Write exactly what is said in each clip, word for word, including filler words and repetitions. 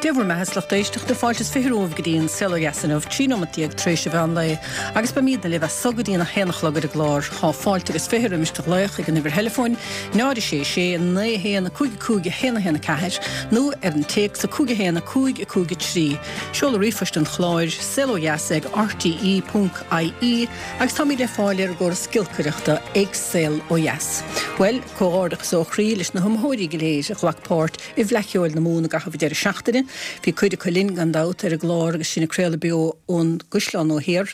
Dia bhur mbeatha a lucht éisteachta fáilte is fiche romhaibh go dtí an Saol Ó Dheas inniu, trí nóimeat déag tar éis an mheán lae, agus beimidne libh as so go dtí an a haon a chlog ar an gclár. Tá fáilte agus fiche roimis do ghlaoch ag an uimhir theileafóin, náid a sé sé, naoi a haon, a cúig a cúig, a haon a haon a ceathair, nó ar an téacs, a cúig a haon, a cúig a cúig a trí. Seoladh ríomhphoist an chláir, saol ó dheas ag rte ponc ie, agus táimid le fáil ar an gcóras giolcaireachta ag Saol Ó Dheas. Bhuel, comhghairdeachas ó chroí leis na hiomaitheoirí go léir a ghlac páirt i bhFleadh Cheoil na Mumhan i gcaitheamh an deireadh seachtaine. Bhí cuid acu linn gan dabht ar an gclár agus sinn ag craoladh beo ón gCaisleán Nua Thiar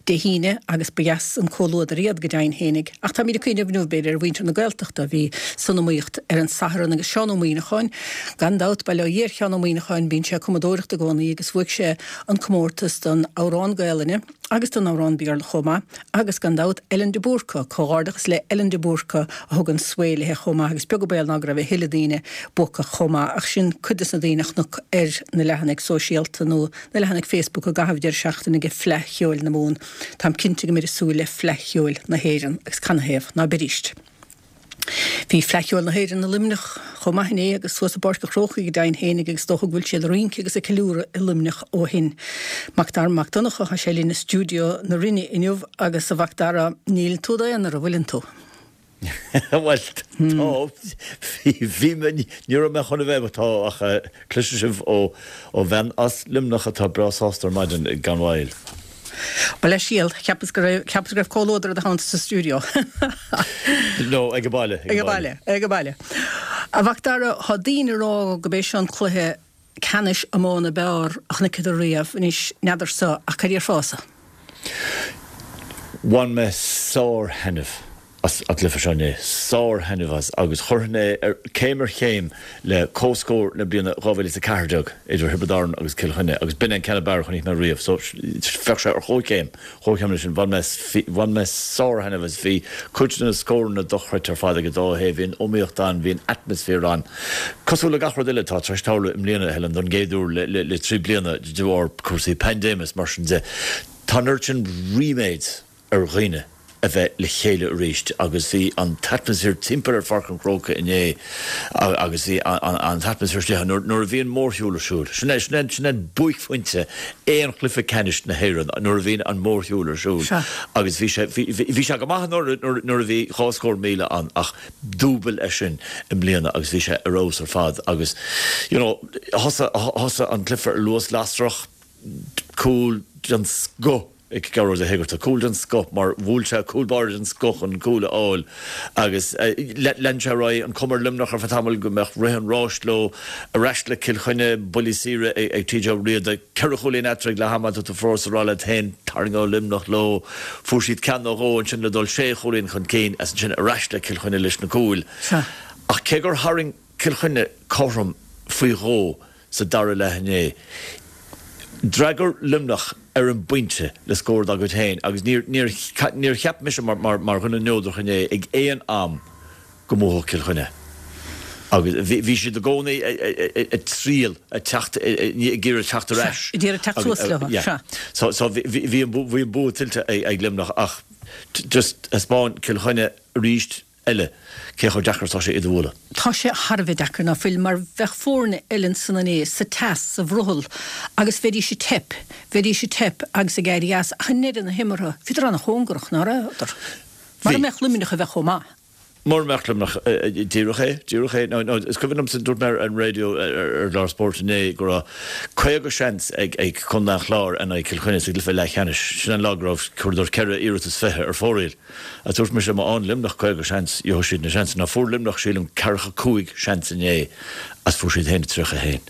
Dé hAoine agus ba dheas an comhluadar iad go deimhin fhéinig. Ach táimid ag cuimhneamh inniu b'fhéidir ar mhuintir na Gaeltachta a bhí san iomaíocht ar an Satharn agus Seán Ó Muíneacháin gan dabht, bail ó Dhia ar Sheán Ó Muíneacháin, bíonn sé ag cumadóireacht i gcónaí agus bhuaigh sé an comórtas don amhrán Gaelainne agus don amhrán Béarla chomh maith agus gan dabht Ellen de Búrca, comhghairdeachas le Ellen de Búrca a thug an svae léi chomh maith agus beag an baol ná go raibh a thuilleadh daoine buacach chomh maith ach sin cuid des na daoine a chonac ar na leathanaigh sóisialta nó na leathanaigh Facebook i gcaitheamh deireadh seachtaine ag Fleadh Cheoil na Mumhan. Táim cinnte go mbeid ag súil le Fleadh Cheoil na hÉireann agus canathaobh ná beidíst. Bhí Fleadh Cheoil na hÉireann i Luimneach chomh maith inné agus suas i bPáirc an Chrócaigh go deimhin fhéinig agus is dócha go bhfuil siad ag rince agus ag ceiliúradh i Luimneach ó shin. Mac Dara Mac Donncha, tá sé linn i stiúideo na Rinne inniu agus a Mhac Dara, níl tú i d'aonar, an bhfuileann tú? Bhuel, tá, bhí mé, ní raibh mé chun a bheith, tá, ach cloisfidh sibh ó bhean as Luimneach atá breá sásta ar maidin gan mhoill. Mo leithscéal, cheapas go raibh, cheapas go raibh comhluadar i do theannta sa stiúideo. No, ag an baile, ag an baile. Ag an baile. A Mhac Dara, tá daoine ag rá go b'é seo an cluiche ceannais iomána ab fhearr a chonaiceadar riamh. Anois, n'fheadarsa, ach cad déarfása? Bhain mé sár-thaitneamh as an gcluiche seo inné, sár-thaitneamh as, agus chuirfinn é ar céim ar chéim le comhscór na bliana dhá mhíle is a ceathair déag idir Thiobraid Árann agus Cill Chainnigh, agus b'in é an ceann ab fhearr a chonaic mé riamh. So, bheadh sé ar chomhchéim, chomhchéim leis sin. Bhain mé, bhain mé sár-thaitneamh as. Bhí cuid de na scóranna dochreidte ar fad ag an dá thaobh, bhí an iomaíocht ann, bhí an atmaisféar ann. Cosúil le gach rud eile atá tar éis tarlú i mbliana, a Helen, don gcéad uair le, le, le trí bliana de bharr cúrsaí paindéime is mar sin de. Tá an oiread sin ríméid ar dhaoine a bheith le chéile arís agus bhí an t-atmaisféar timpeall ar Pháirc an Chrócaigh inné agus bhí an t-atmaisféar istigh ann nuair a bhíonn mórshiúl ar siúl. Sin é, sin é, sin é buaicphointe aon chluiche ceannais na hÉireann, nuair a bhíonn an mórshiúl ar siúl agus bhí sé, bhí, bhí sé go maith anuraidh nuair, nuair a bhí dhá scór míle ann ach dúbail é sin i mbliana agus bhí sé ar fheabhas ar fad agus you know thosaigh, thosaigh an cluiche ar luas lasrach, Cúl den scoth ag Gearóid Ó hÉigeartaigh. Cúl den scoth mar bhuail sé cúl báire den scoth chun an cúl a fháil agus lean sé ar aghaidh, an chuma ar Luimneach ar feadh tamaill go mbeadh rith an ráis leo. Ar ais le Cill Chainnigh, buillí saora ag T J Ó Riada, ceithre chúilín eatarthu ag leath ama, tá tú fós ag rá leat féin, tarraingeoidh Luimneach leo. Fuair siad ceann nó dhó ansin le dul sé chúilín chun cinn agus ansin ar ais le Cill Chainnigh leis na cúil. Ach cé gur tharraing Cill Chainnigh cothrom faoi dhó sa dara leath inné. D'fhreagair Luimneach ar an bpointe le scór dá gcuid féin agus níor níor cheap mise mar mar dhuine neodrach inné ag aon am go mbuafadh Cill Chainnigh. Agus bhí siad i gcónaí ag triail ag teacht ag iarraidh teacht ar ais. Ag iarraidh teacht suas leo, sea. So so bhí an bua tuillte ag Luimneach ach just thaispeáin Cill Chainnigh arís eile, cé chomh deacair is atá sé iad a bhualadh. Tá sé thar a bheith deacair, ná fuil, mar bheadh foirne eile ansan inné, sa teas, sa bhrothall, agus bheidís ag teip, bheidís ag teip agus ag éirí as, ach i ndeireadh na himeartha, bhíodar an-chóngarach, ná rabhadar? Mura mbeadh Luimneach a bheith chomh maith. Mura mbeadh Luimneach, díreach é, díreach é. Nó, is cuimhin liomsa, dúirt mé ar an raidió, ar an gclár spóirt inné, go raibh caoga seans ag Contae an Chláir in aghaidh Chill Chainnigh sa gcluiche leathcheannais. Sin an lá go raibh, chuireadar ceithre iarratas fiche ar fóraoil. A dúirt mise, má fhaigheann Luimneach caoga seans, gheobhaidh siad na seansanna. Fuair Luimneach, sílim, ceathracha cúig seans inné agus fuair siad féin tríocha a haon.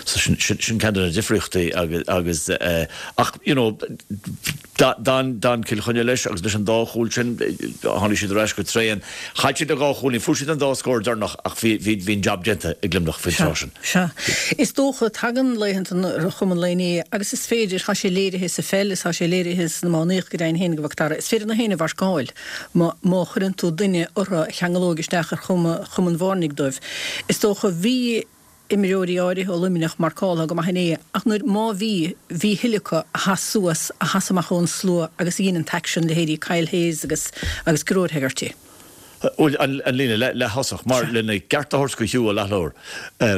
So sin, sin, sin ceann de na difríochtaí agus, agus eh, ach, you know, d'fhan, d'fhan Cill Chainnigh leis agus leis an dá chúl sin, tháinig siad ar ais go tréan. Chaill siad na dhá chúilín, fuair siad an dá scór deireanach ach bhí, bhí, bhí an jab déanta ag Luimneach faoin tráth sin. Sea. Is dócha, tagann laethanta ar chuma an lae inné agus is féidir, tá sé léirithe sa pheil is tá sé léirithe san iománaíocht go deimhin féin, a Mhac Dara, is féidir na héinne a mharcáil má má chuireann tú duine orthu a cheangalóidh isteach ar chuma chuma an bhairnigh dóibh. Is dócha, bhí imreoirí áirithe ó Luimneach marcáltha go maith inné ach nuair, má bhí, bhí a thuilleadh acu a sheas suas, a sheas amach ón slua agus a dhein an t-aicsean, leithéidí Kyle Hayes agus agus Gearóid Hegarty. Bhuel, an líne leath-thosach, mar lena gceart a thabhairt do Hugh Ó Leathlobhair,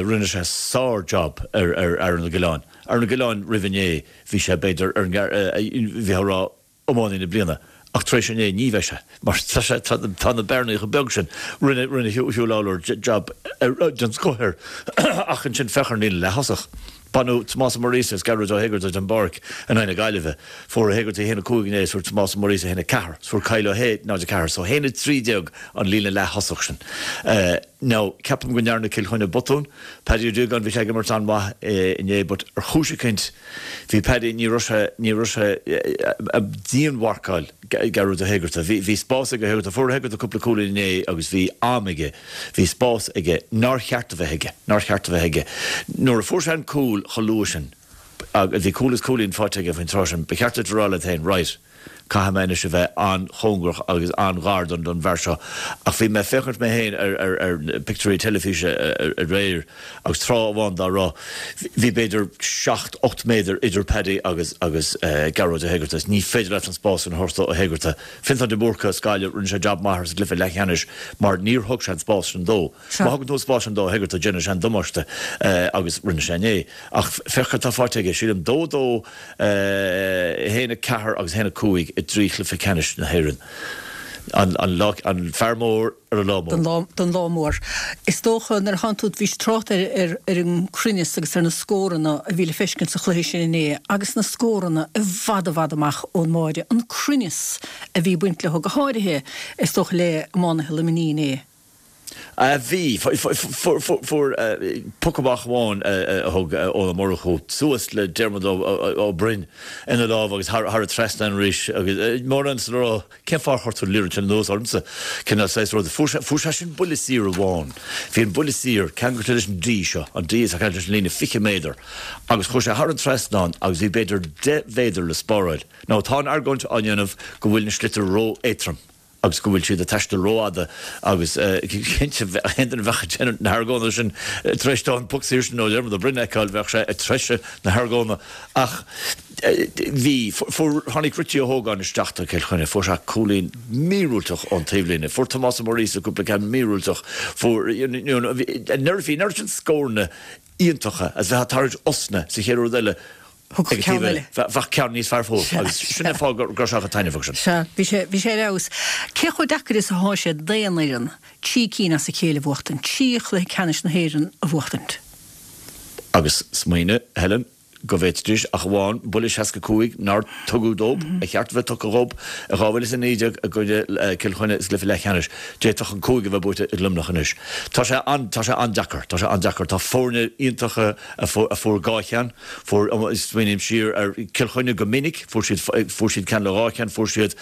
rinne sé sár-job ar Aaron Ó Giolláin. Aaron Ó Giolláin roimh inné, bhí sé b'fhéidir ar an bhí a rá iománaí na bliana, ach tar éis inné ní bheidh sé, mar tá sé, tá na bearnaí chomh beag sin. Rinne, rinne Hugh Lawlor job den scoth air, ach ansin féach ar an líne leath-thosach. Baineadh Tomás Ó Muiríosa is Gearóid Ó hÉigeartaigh den bpáirc in aghaidh na Gaillimhe. Fuair Ó hÉigeartaigh a haon a cúig inné is fuair Tomás Ó Muiríosa a haon a ceathair. Is fuair Kyle Ó hAodha náid a ceathair. So a haon a trí déag an líne leath-thosach sin. Now, ceapaim go ndearna Cill Chainnigh botún. Paddy Ó Dúgáin, bhí sé ag imirt an-mhaith inné but ar chúis eicínt bhí Paddy, ní raibh sé, ní raibh sé ag dianmharcáil Gearóid Ó hÉigeartaigh. Bhí, bhí spás ag Ó hÉigeartaigh. Fuair Ó hÉigeartaigh cúpla cúilín inné agus bhí am aige, bhí spás aige nár cheart a bheith aige, nár cheart a bheith aige. Nuair a fuair sé an cúl chomh luath sin, agus bhí cúl is cúilín faighte aige faoin tráth sin, ba cheart duit a rá leat féin, right, caithfidh mé anois a bheith an-chóngarach agus an-ghar don don bhfear seo. Ach bhí mé ag féachaint mé féin ar ar ar na pictiúirí teilifíse aréir agus tráth amháin dá raibh, bhí b'fhéidir seacht, ocht méadar idir Paddy agus agus Gearóid Ó hÉigeartaigh. Ní féidir leat an spás sin a thabhairt do Ó hÉigeartaigh. Fintán de Búrca as Gaillimh, rinne sé jab maith air sa gcluiche leathcheannais mar níor thug sé an spás sin dó. Má thugann tú an spás sin do Ó hÉigeartaigh, déanann sé an damáiste agus rinne sé inné. Ach féach cad tá faighte aige, sílim dó dó, a haon a ceathair agus a haon a cúig i dtrí chluiche ceannais na hÉireann. An, an lá, an fear mór ar an lá mór. Don lá, don lá mór. Is dócha nuair a thánn tú, bhís trácht ar, ar, ar an cruinneas agus ar na scóranna a bhí le feiscint sa chluiche sin inné agus na scóranna i bhfad i bhfad amach ón mbáire, an cruinneas a bhí ag baint leo, go háirithe is dócha le iománaithe Luimnigh inné. A bhí. Fuair poc amach amháin a thug Eoin Ó Murchú suas le Diarmuid Ó Broin ina lámh agus thar an trasnán arís agus mórán le rá cén fáth ar chuir tú an liathróid sin anuas ormsa? Cineál saghas rud. Fuair sé sin buille saor amháin. Bhí an buille saor ceangailte leis an D seo, an D atá ceangailte leis an líne fiche méadar agus chuaigh sé thar an trasnán agus bhí b'fhéidir deich mhéadar le spáráil. Now tá an argóint á ndéanamh go bhfuil na sliotair ró-éadtrom. agus go bhfuil siad ag taisteal rófhada agus cinnte aon duine a bheadh ag déanamh na hargóna sin tar éis dó an poc saor sin ó Dhiarmuid Ó Broin a fheiceáil bheadh sé ag treisiú na hargóna ach bhí, fuair, tháinig Richie Ó hÓgáin isteach do Chill Chainnigh, fuair sé cúilín míorúilteach ón taobhlíne, fuair Tomás Ó Muiríosa cúpla ceann míorúilteach, fuair, you know, bhí an oiread sin scóranna iontacha agus bheifeá ag tarraingt osna sa chéad rud eile. Thug Ag an ceann taobh eile. eile, bheadh ceann níos fearr fós Sea, agus sin sea. an fáth go raibh sé chomh taitneamhach sin. Sea, bhí sé, bhí sé ar fheabhas. Cé chomh deacair is athá sé d'aon fhoireann trí cinn as a chéile a bhuachtaint, trí chluiche ceannais na hÉireann a bhuachtaint? Agus smaoinigh, Helen, go bhféadfaidís ach amháin buille seasca cúig nár tugadh dóibh, a cheart a bheith tugtha dhóibh, i dhá mhíle is a naoi déag i gcoinne Cill Chainnigh sa gcluiche leathcheannais, d'fhéadfadh an cúig a bheith buaite ag Luimneach anois. Tá sé an, tá sé an-deacair, tá sé an-deacair. Tá foirne iontacha a fuair dhá cheann, fuair, smaoiním siar ar Cill Chainnigh go minic, fuair siad, fuair siad ceann le dhá cheann, fuair siad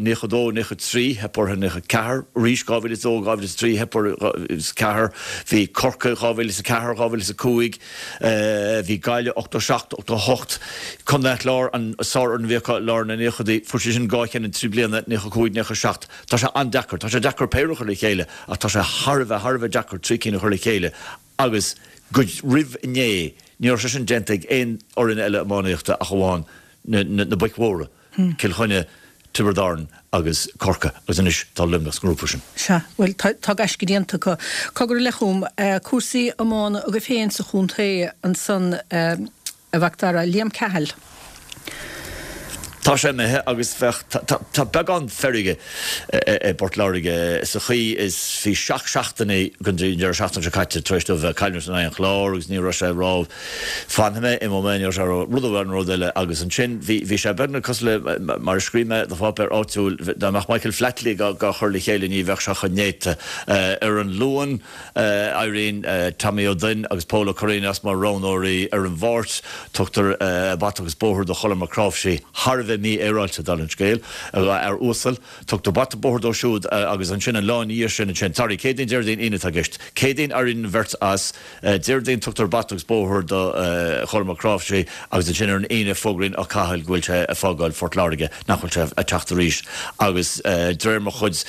naocha dó, naocha trí, theip orthu naocha ceathair, arís dhá mhíle is dó, dhá mhíle is trí, theip orthu is ceathair, bhí Corcaigh dhá mhíle is a ceathair, dhá mhíle is a cúig, bhí Gaillimh ochtó seacht, ochtó hocht, Contae an Chláir, an sárfhoireann a bhí acu i lár na naochadaí, fuair siad sin dhá cheann in trí bliana, naocha cúig, naocha seacht. Tá sé an-deacair, tá sé deacair péire a chur le chéile ach tá sé thar a bheith, thar a bheith deacair trí cinn a chur le chéile agus go roimh inné ní raibh sé sin déanta ag aon fhoireann eile iománaíochta ach amháin na boic mhóra, Cill Chainnigh, Tiobraid Árann agus Corcaigh agus anois tá Luimneach sa ngrúpa sin. Sea, bhuel, tá gaisce déanta acu. Cogar eile chugam, cúrsaí iomána agaibh féin sa chontae ansan, a Mhac Dara, Liam Cahill. Tá sé imithe agus bheadh, tá beagán feirge i bPort Láirge sa chaoi is bhí seacht seachtainí go dtí an deireadh seachtaine seo caite tar éis dóibh bheith ag cailliúint in aghaidh an Chláir agus ní raibh sé ag rá fanfaidh mé, imeoidh mé, ní raibh sé ag rá rud amháin nó rud eile agus ansin bhí, bhí sé beagnach cosúil le, mar a scríobh mé do pháipéar áitiúil, dá mbeadh Michael Flatley dhá chur le chéile ní bheadh sé chomh néata. Ar an Luan. Éiríonn Tommy Ó Duinn agus Pól Ó Curraoin as mar roghnóirí ar an Mháirt. Tugtar bata agus bóthar do Cholm Mac Cnáimhsí, thar a bheith mífhéaráilte, dála an scéil, a fhear uasal. Tugtar bata bóthair dó siúd agus ansin an lá ina dhiaidh sin ansin, sorry, Céadaoin, Déardaoin, Aoine atá i gceist. Céadaoin éiríonn an bheirt as, Déardaoin tugtar bata agus bóthar do Cholm Mac Cnáimhsí agus ansin ar an Aoine fógraíonn Ó Cathail go bhfuil sé ag fágáil Phort Láirge, nach bhfuil sé ag teacht arís agus de réir mo chuid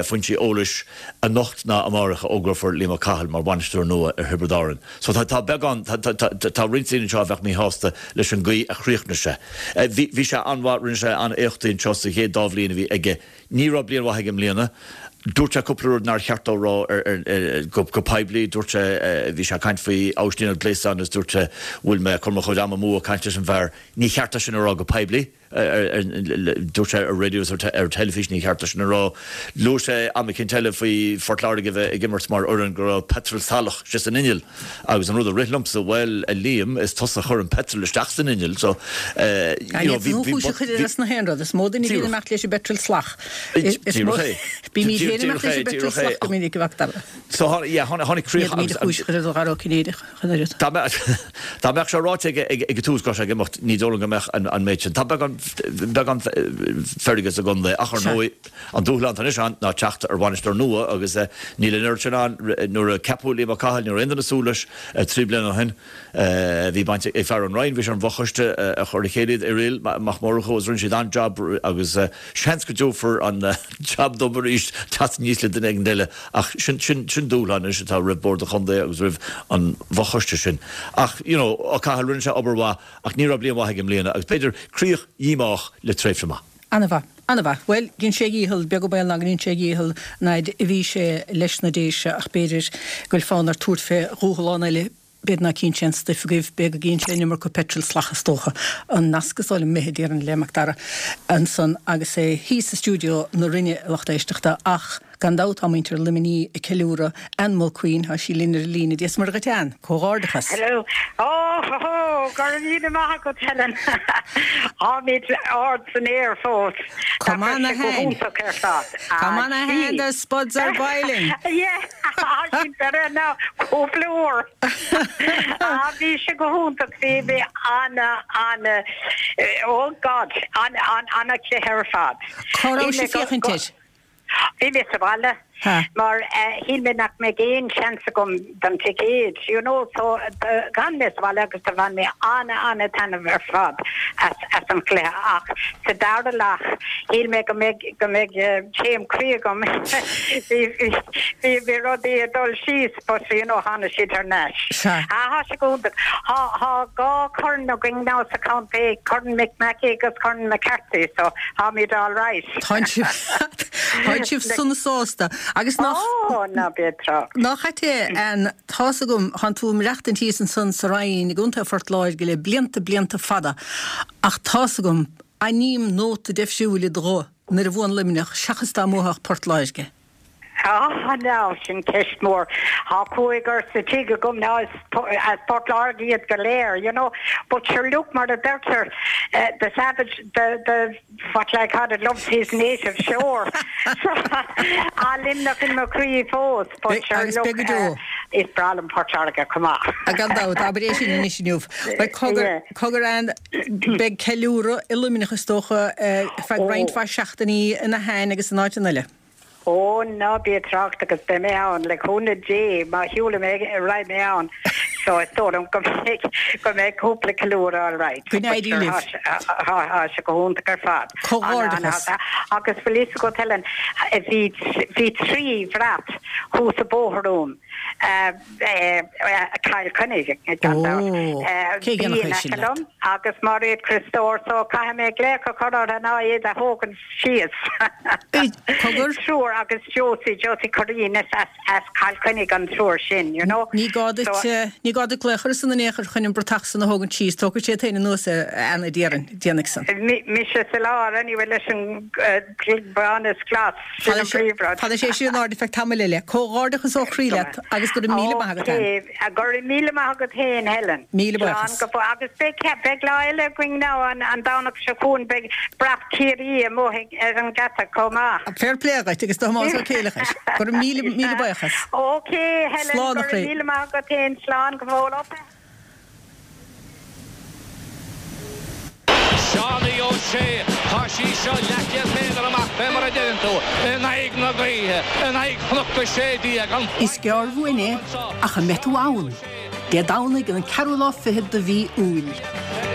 foinsí eolais, Anocht ná amárach a fhógrófar Liam Ó Cathail mar bhainisteoir nua ar Thiobraid Árann. So tá, tá beagán, tá, tá, tá roinnt daoine anseo a bheadh míshásta leis an gcaoi a chríochnaigh sé. Bhí, bhí sé an-mhaith, rinne sé an-éachtaí anseo sa chéad dá bhliain a bhí aige. Ní raibh bliain mhaith aige i mbliana. Dúirt sé cúpla rud nár cheart dó rá ar, ar, ar, go, go poiblí, dúirt sé uh, bhí sé ag caint faoi Aibhistín Ó Gléasáin agus dúirt sé bhfuil mé chun mo chuid ama amú ag caint leis an bhfear ní cheart sin a rá go poiblí. Dúirt sé ar raidió ar, ar teilifís ní cheart sin a rá. Luaigh sé am éicint eile faoi Phort Láirge bheith ag imirt mar fhoireann go raibh petrol salach sé san inneall agus an rud a rith liomsa well a Liam is tusa a chuir an petrol isteach san inneall so uh, you know, bhí bhí na haon rud is mó duine bhí amach leis an bpetrol salach. Bí mí leis an bpetrol salach go minic bhachtar. So yeah, tháinig críoch Dá mbeadh sé ráite ag ag tús go sé ag imeacht ní dóigh go mbeadh an méid sin. Tá beagán beagán feirge sa gcontae ach ar ndóigh an dúshlán anois ann ná teacht ar bhainisteoir nua agus níl an oiread sin ann nuair a ceapadh Liam Ó Cathail nuair aon duine súil leis trí bliana ó shin bhí baint ag fear an Roinn bhí sé ar an bhfochoiste a chur a chéile Irial Mac Murchú agus rinne siad an-jab agus seans go dtabharfar an jab dóibh arís teacht aníos le duine éigin eile ach sin sin sin dúshlán anois atá roimh bord an chontae agus roimh an bhfochoiste sin. Ach you know, Ó Cathail rinne sé obair mhaith ach ní raibh bliain mhaith aige i mbliana agus b'fhéidir críoch dhíomách le tréimhse maith. An-mhaith. An-mhaith. Bhuel, dhein sé a dhícheall, beag an baol ná go ndein sé a dhícheall an fhaid a bhí sé leis na Déise ach b'fhéidir go bhfuil fonn air tabhairt fé dhúshlán eile, b'fhéidir ná cíonn sé an stuif agaibh, b'fhéidir go gcíonn sé an iomarca peitril salach is dócha. An nasc is dóigh liom imithe déarfainn le Mac Dara ansan agus é thíos i stiúideo na Rinne a lucht éisteachta ach gan dabht tá muintir Luimnigh ag ceiliúradh Ann Mulqueen, tá sí linn ar an líne. Dia is Muire dhuit Ann, comhghairdeachas. Hello. Oh, ho, ho, go raibh míle maith agat Helen. Táimid ard san aer fós. Come on a go hen. hiontach ar fad. Come on a hen, the spuds are boiling. Yeah, sin better now. Cúpla uair. Ah, bhí sé go hiontach bhí bhí ana ana oh God, an an ana chluiche ar fad. Cá raibh Bhí sí mé go- féachaint go- air? Bhí mé sa bhaile Ha. mar eh, shíl mé nach mbeadh aon seans agam don ticéad you know so d'fhan mé sa bhaile agus do bhain mé ana ana taitneamh ar fad as as an chluiche ach sa dara leath shíl mé go mbeadh go mbeadh eh, taom croí agam bhí bhí bhí rudaí ag dul síos but you know tháinig siad thar n-ais. Sea. Ah, Tá sé go hiontach. Tá tá dhá chorn againn now sa chontae Corn Mick Mackey agus Corn McCarthy so táimid all right. Tá sibh Tá sibh sona sásta agus nach Oh, ná bí trácht. Nach ait an tá's agam tánn tú ag maireachtaint thíos ansan sa Rinn i gContae Phort Láirge le blianta blianta fada ach tá's agam aithním nóta difriúil i do ghuth nuair a bhuann Luimneach seachas dá mbuafadh Port Láirge. Ah, now sin ceist mór. Tá cúigear sa tigh agam now as as Port Láirge iad go léir, you know. But sure look mar a deirtear uh, the savage the the what like how it loves his native shore. so tá Luimneach in mo chroí fós, but Be- sure agus look beidh go deo. uh, is breá liom Port Láirge chomh maith. A gan dabht abair é sin anois inniu. Beidh cogar cogar an beidh ceiliúradh i Luimneach is dócha eh, feadh Oh. roinnt mhaith seachtainí ina hain agus in áiteanna eile. Ó ná bí trácht agus beidh mé ann le cúnamh Dé má shiúlaim mé raghaidh mé ann. So is dóigh liom go mbeidh go mbeidh cúpla ceiliúradh all right. Go n-éirí libh. Tá sé go hiontach ar fad. Comhghairdeachas. Ana- ana- Agus bhfuil fhios agat Helen bhí bhí trí bhrat thuas an bóthar uaim. Cill Chainnigh gan Ó, dabht. cé Bhí dhéanfadh in é sin aice leat? liom agus Mairéad Criostóir so caithfidh mé glaoch a chur orthu ná iad a thógaint síos. Ei, cogar? Triúr agus Josie Josie Corín as as as Cill Chainnigh an triúr sin, you know. Ní gá duit So- eh, ní gá duit glaoch orthu san in aon chor chun an bratach san a thógaint síos, tógfaidh siad féin anuas é Anna déarfainn déanfaidh san. Mi- Mise sa lár anyway leis an uh, bán is glas sin an príomhrud. Tá sé sin in airde feadh tamaill eile. Comhghairdeachas ó chroí leat agus go raibh míle maith agat Ann. Okay, go raibh míle maith agat féin Helen. Míle buíochas. Slán go fóill. Agus beidh beidh lá eile againn now an an Domhnach seo chugainn beidh brat Ciarraí amuigh ar an geata chomh maith. Fair play agat agus Tomás Ó Céileachais. Go raibh míle míle buíochas. Okay, Helen, Slán a go raibh chroí. míle maith agat féin slán go fóill op. Seánie O'Shea Tá sí seo leathchéad méadar amach fé mar a deireann tú in aghaidh na gaoithe in aghaidh chnoc a sé déag an Is gearr uainn é ach an mbeidh tú ann. Dé Domhnaigh an ceathrú lá fichead de mhí Iúil.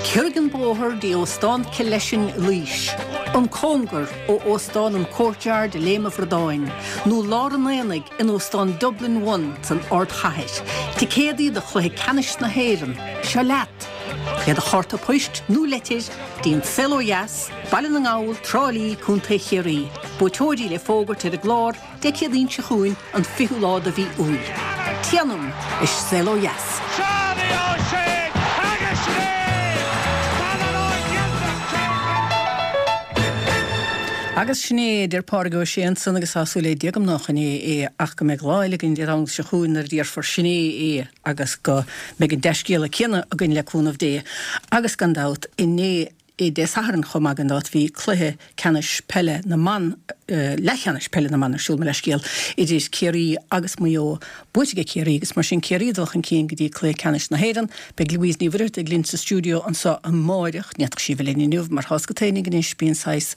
Ciorraigh an bóthar dtí Óstán Killeshin Laois. An cóngar ó Óstán an Courtyard i Léim an Bhradáin, nó lár an aonaigh in Óstán Dublin One san Ardchathair. Ticéadaí do chluiche ceannais na hÉireann, seo leat. Le do chárta poist nó leitir go dtí An Saol Ó Dheas, Baile na nGall, Trá Lí, Contae Chiarraí. Buaiteoirí le fógairt ar an gclár Dé Céadaoin seo chugainn an fichiú lá de mhí Iúil. Téanam is Saol Ó Dheas. Seánie O'Shea agus Sinéad! Agus sin é, a deir Pádraig Ó Sé ansan agus tá súil agam nach in é é ach go mbeidh lá eile againn Dé Domhnaigh seo chugainn nuair a déarfar sin é é agus go mbeidh an dea-scéala céanna againn le cúnamh Dé. Agus gan dabht inné Dé Sathairn chomh maith gan dabht bhí cluiche ceannais peile na mban, leathcheannais peile na mban ar siúl, mo leithscéal, idir Ciarraí agus Maigh Eo. Buaite ag Ciarraí agus mar sin Ciarraí ag dul chun cinn go dtí cluiche ceannais na hÉireann. Beidh Louise Ní Mhuircheartaigh linn sa stiúideo anseo amáireach. Ní fhéadfadh sí a bheith linn inniu mar tá a fhios agat fhéinig anois, bíonn saghas,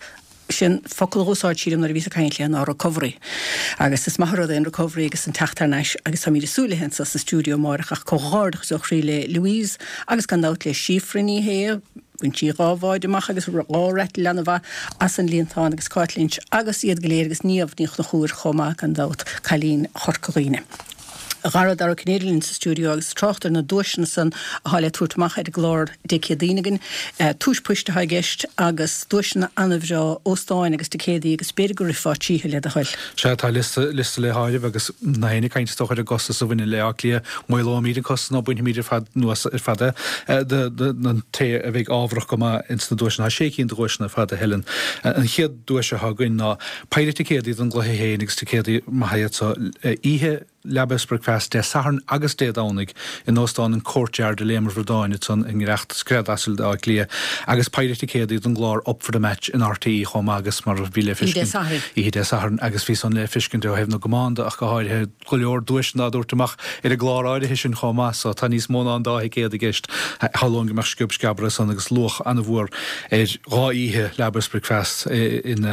sin focal a dh'úsáid sí liom nuair a bhíos ag caint léi ná recovery. Agus is maith an rud é an recovery agus an teacht thar n-ais agus táimid ag súil léi anseo sa stiúideo amáireach ach comhghairdeachas ó chroí le Louise agus gan dabht le Síofra Ní Shé, bhain sí dhá bháide amach agus dhá rattle an-mhaith as an líontán agus Cáit Lynch agus iad go léir agus Niamh Ní Chonchúir chomh maith gan dabht, cailín Chorca Dhuibhne. A dhara Dara Ó Cinnéide linn sa stiúideo agus trácht ar na duaiseanna san atá le tabhairt amach ar an gclár Dé Céadaoin againn. Tomhais poist atá i gceist agus duaiseanna an-bhreá, óstáin agus ticéadaí agus b'fhéidir go rithfeá tríothu le do thoil. Sea, tá liosta, liosta le háireamh agus ná héinne ag caint is dócha ar an gcostas a bhaineann le Áth Cliath. Maolóimid an costas nó bainfimid ar fad anuas ar fad é don té a bheidh ámharach go maith ins na duaiseanna. Tá sé cinn de dhuaiseanna ar fad, a Helen. An chéad duais atá againn ná péire ticéadaí don gcluiche féin agus ticéadaí maithe iad so oíche Leaba is Bricfeasta Dé Sathairn agus Dé Domhnaigh in Óstán an Courtyard i Léim an Bhradáin ansan i ngiorracht scread asail d'Áth Cliath agus péire ticéadaí don gclár Up for the Match in RTÉ chomh maith agus mar a bhí le Oíche Dé feiscint Sathairn. Oíche Dé Sathairn agus bhí san le feiscint ó thaobh na gcamán de ach go háirithe go leor duaiseanna á dtabhairt amach ar an gclár áirithe sin chomh maith so tá níos mó ná an dá thicéad i gceist. Shamhlóinn go mbeadh sciob sceabar ansan agus luach an-mhór ar dhá oíche Leaba is Bricfeasta in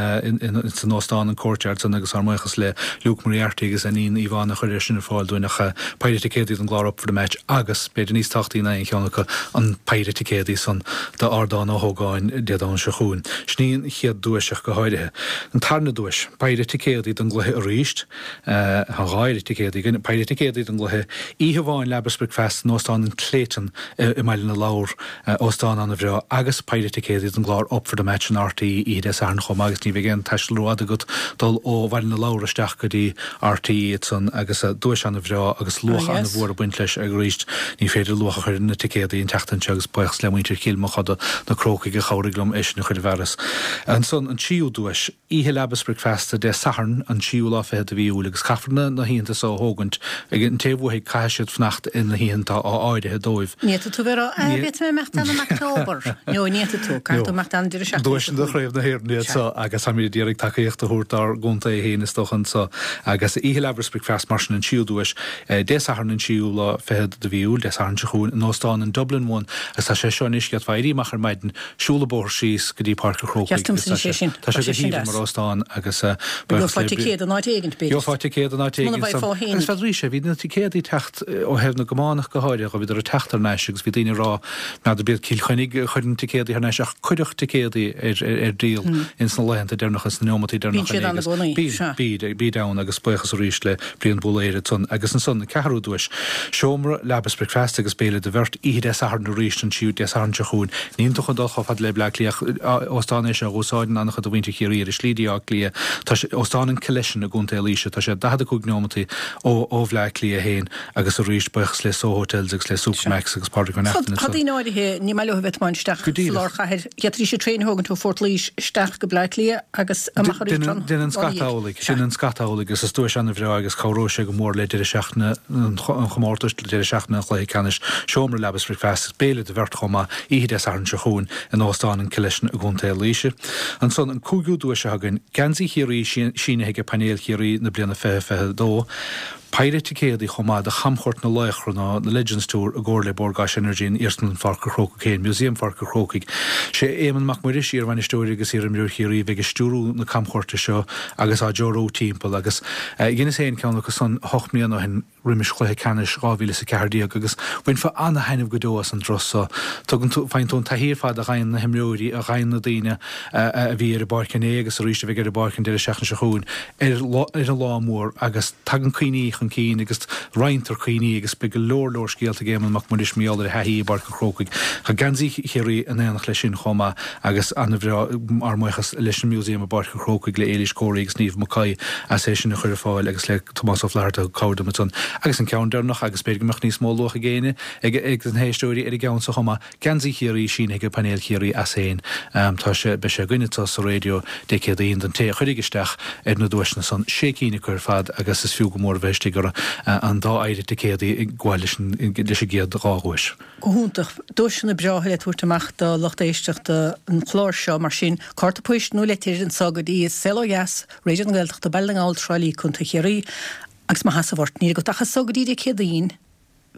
san Óstán an Courtyard san agus ár mbuíochas le Luke Moriarty agus a iníon Yvonne a chuir é sin ar fáil dúinn ach péire ticéadaí don gclár Up for the Match agus, b'fhéidir níos tábhachtaí ná aon cheann acu, an péire ticéadaí san d'Ardán Ó hÓgáin Dé Domhnaigh seo chugainn. Sin í an chéad duais ach go háirithe. An tarna duais, péire ticéadaí don gcluiche arís, tá dhá phéire ticéadaí againn, péire ticéadaí don gcluiche, oíche amháin Leaba is Bricfeasta in Óstán an Clayton i mBaile na Lobhar, óstán an-bhreá, agus péire ticéadaí don gclár Up for the Match in RTÉ oíche Dé Sathairn chomh maith agus ní bheidh aon taisteal rófhada agat dul ó Bhaile na Lobhar isteach go dtí RTÉ ansan agus duais an-bhreá agus luach an-mhór ag baint leis arís. Ní féidir luach a chur ar na ticéadaí an tseachtain seo agus buíochas le muintir Chill Mochuda, na Crócaigh a chabhraigh liom é sin a chur i bhfearas. Ansan an tríú duais, oíche Leaba is Bricfeasta Dé Sathairn an tríú lá fichead de mhí Iúil agus caithfear na na hoícheanta so a thógaint ag an té a bhuafaidh caithfidh siad fanacht in na hoícheanta atá áirithe dóibh. Ní fhéadfaidh tú bheith ag rá, ah, b'fhéadfaidh mé imeacht ann in October. No, ní fhéadfaidh tú, caithfidh tú imeacht ann an deireadh seachtaine seo Duaiseanna chugainn. Chraobh na hÉireann iad Sea. so agus táimid ag iarraidh tacaíocht a thabhairt dár gcontae féin is dócha anso agus oíche Leaba is Bricfeasta mar sin an tríú duais, Dé Sathairn an tríú lá fichead de mhí Iúil, Dé Sathairn seo chugainn, in Óstán an Dublin One agus tá sé seo anois, d'fhéadfá éirí amach ar maidin, siúl an bóthar síos go dtí Páirc an Chrócaigh Cheart agus domsa tá sé sé sin, tá tá sé sé go sin haoibhinn deas. mar óstán agus buíochas Gheofá le ticéad in áit éigint, b'fhéidir. Gheofá ticéad in áit Muna éigint bhfaighfeá san. féin. Agus feadaraís é, bhí na ticéadaí ag teacht ó thaobh na gcamán ach go háirithe, bhíodar ag teacht thar n-ais agus bhí daoine ag rá, n'fheadar b'iad Cill Chainnigh a chuireann ticéadaí thar n-ais ach cuireadh ticéadaí ar ar díol ins na laethanta deireanacha, ins na neomataí Bíonn deireanacha siad ann i agus gcónaí, bíonn, sea. bíd, bíd ann agus buíochas arís le Brian Búlaeir ansan. Agus ansan, an ceathrú duais, seomra leaba is bricfeasta agus béile do bheirt, oíche Dé Sathairn arís, an tríú Dé Sathairn seo chugainn. Níl tú chun dul chomh fada le Bleá Cliath ach óstán é seo a dh'úsáideann an-chuid de mhuintir Chiarraí ar a slí dtí Áth Cliath. Tá sé, Óstán an Killeshin i gContae Laoise, tá sé daichead a cúig neomataí ó ó Bhleá Cliath féin agus arís buíochas le Soho Hotels agus le Supermacs agus Pádraig Ó Tá Neachtain tá ansan. daoine áirithe, ní maith leo a bheith ag tiomáint isteach Go sa díreach. lár chathair. D'fhéadfaidís an traein a thógaint ó Phort Laoise isteach go Bleá Cliath agus amach arís Déanann an déanann lá scata ina dhiaidh. amhlaidh, Sea. déanann scata amhlaidh agus is duais an-bhreá agus cabhróidh sé go mór le deireadh seachtaine an chomórtais, le deireadh seachtaine an chluiche ceannais, seomra leaba is bricfeasta, béile do bheirt chomh maith, oíche Dé Sathairn seo chugainn in Óstán an Killeshin i gContae Laoise. Ansan an cúigiú duais atá againn, geansaí Chiarraí sínithe ag painéal Chiarraí na bliana fiche fiche a dó, péire ticéadaí chomh maith do Chamchuairt na Laochra nó na Legends Tour i gcomhar le Bord Gáis Energy in Iarsmalann Pháirc an Chrócaigh féin, Museum Pháirc an Chrócaigh. Sé Éamonn Mac Muiris, iarbhainisteoir agus iarimreoir Chiarraí, a bheidh ag stiúrú na camchuairte seo agus á dtreorú timpeall agus dheineas féin ceann acu san ocht mbliana ó shin roimis chluiche ceannais dhá mhíle is a ceathair déag agus bhainfeá ana-thaitneamh go deo as an dturas so. Tugann tú, faigheann tú an taithí ar fad a ghaibheann na himreoirí, a ghaibheann na daoine a bhí ar an bpáirc inné agus arís a bheidh ar an bpáirc an deireadh seachtaine seo chugainn ar, ar an lá mór agus tagann cuimhní chun cinn agus roinntear cuimhní agus beidh go leor leor scéalta ag Éamonn Mac Muiris mar gheall ar a thaithí i bPáirc an Chrócaigh. Tá geansaí Chiarraí in éineacht leis sin chomh maith agus an-bhreá ár mbuíochas leis an Museum i bPáirc an Chrócaigh le Éilís Corey agus Niamh Mackay as é sin a chur ar fáil agus le Tomás Ó Flatharta a thug cabhair dom ansan. Agus an ceann deireanach agus b'fhéidir go mbeadh níos mó luach ag éinne ag ag na héisteoirí ar an gceann seo chomh maith, geansaí Chiarraí sínithe ag painéal Chiarraí as féin. Tá sé beidh sé againn anseo sa raidió Dé Céadaoin don té a chuirfidh isteach ar na duaiseanna san. Sé cinn acu ar fad agus is fiú go mór a bheith istigh orthu, an dá oiread ticéadaí ag gabháil leis an leis an gcéad dhá dhuais. Go hiontach. Duaiseanna breátha le tabhairt amach do lucht éisteachta an chláir seo, mar sin, cárta poist nó litir anso go dtí Saol Ó Dheas, Raidió na Gaeltachta, Baile na nGall, Trá Lí, Contae Chiarraí. Agus mo sheasamh ort, níl agat ach as so go dtí Dé Céadaoin.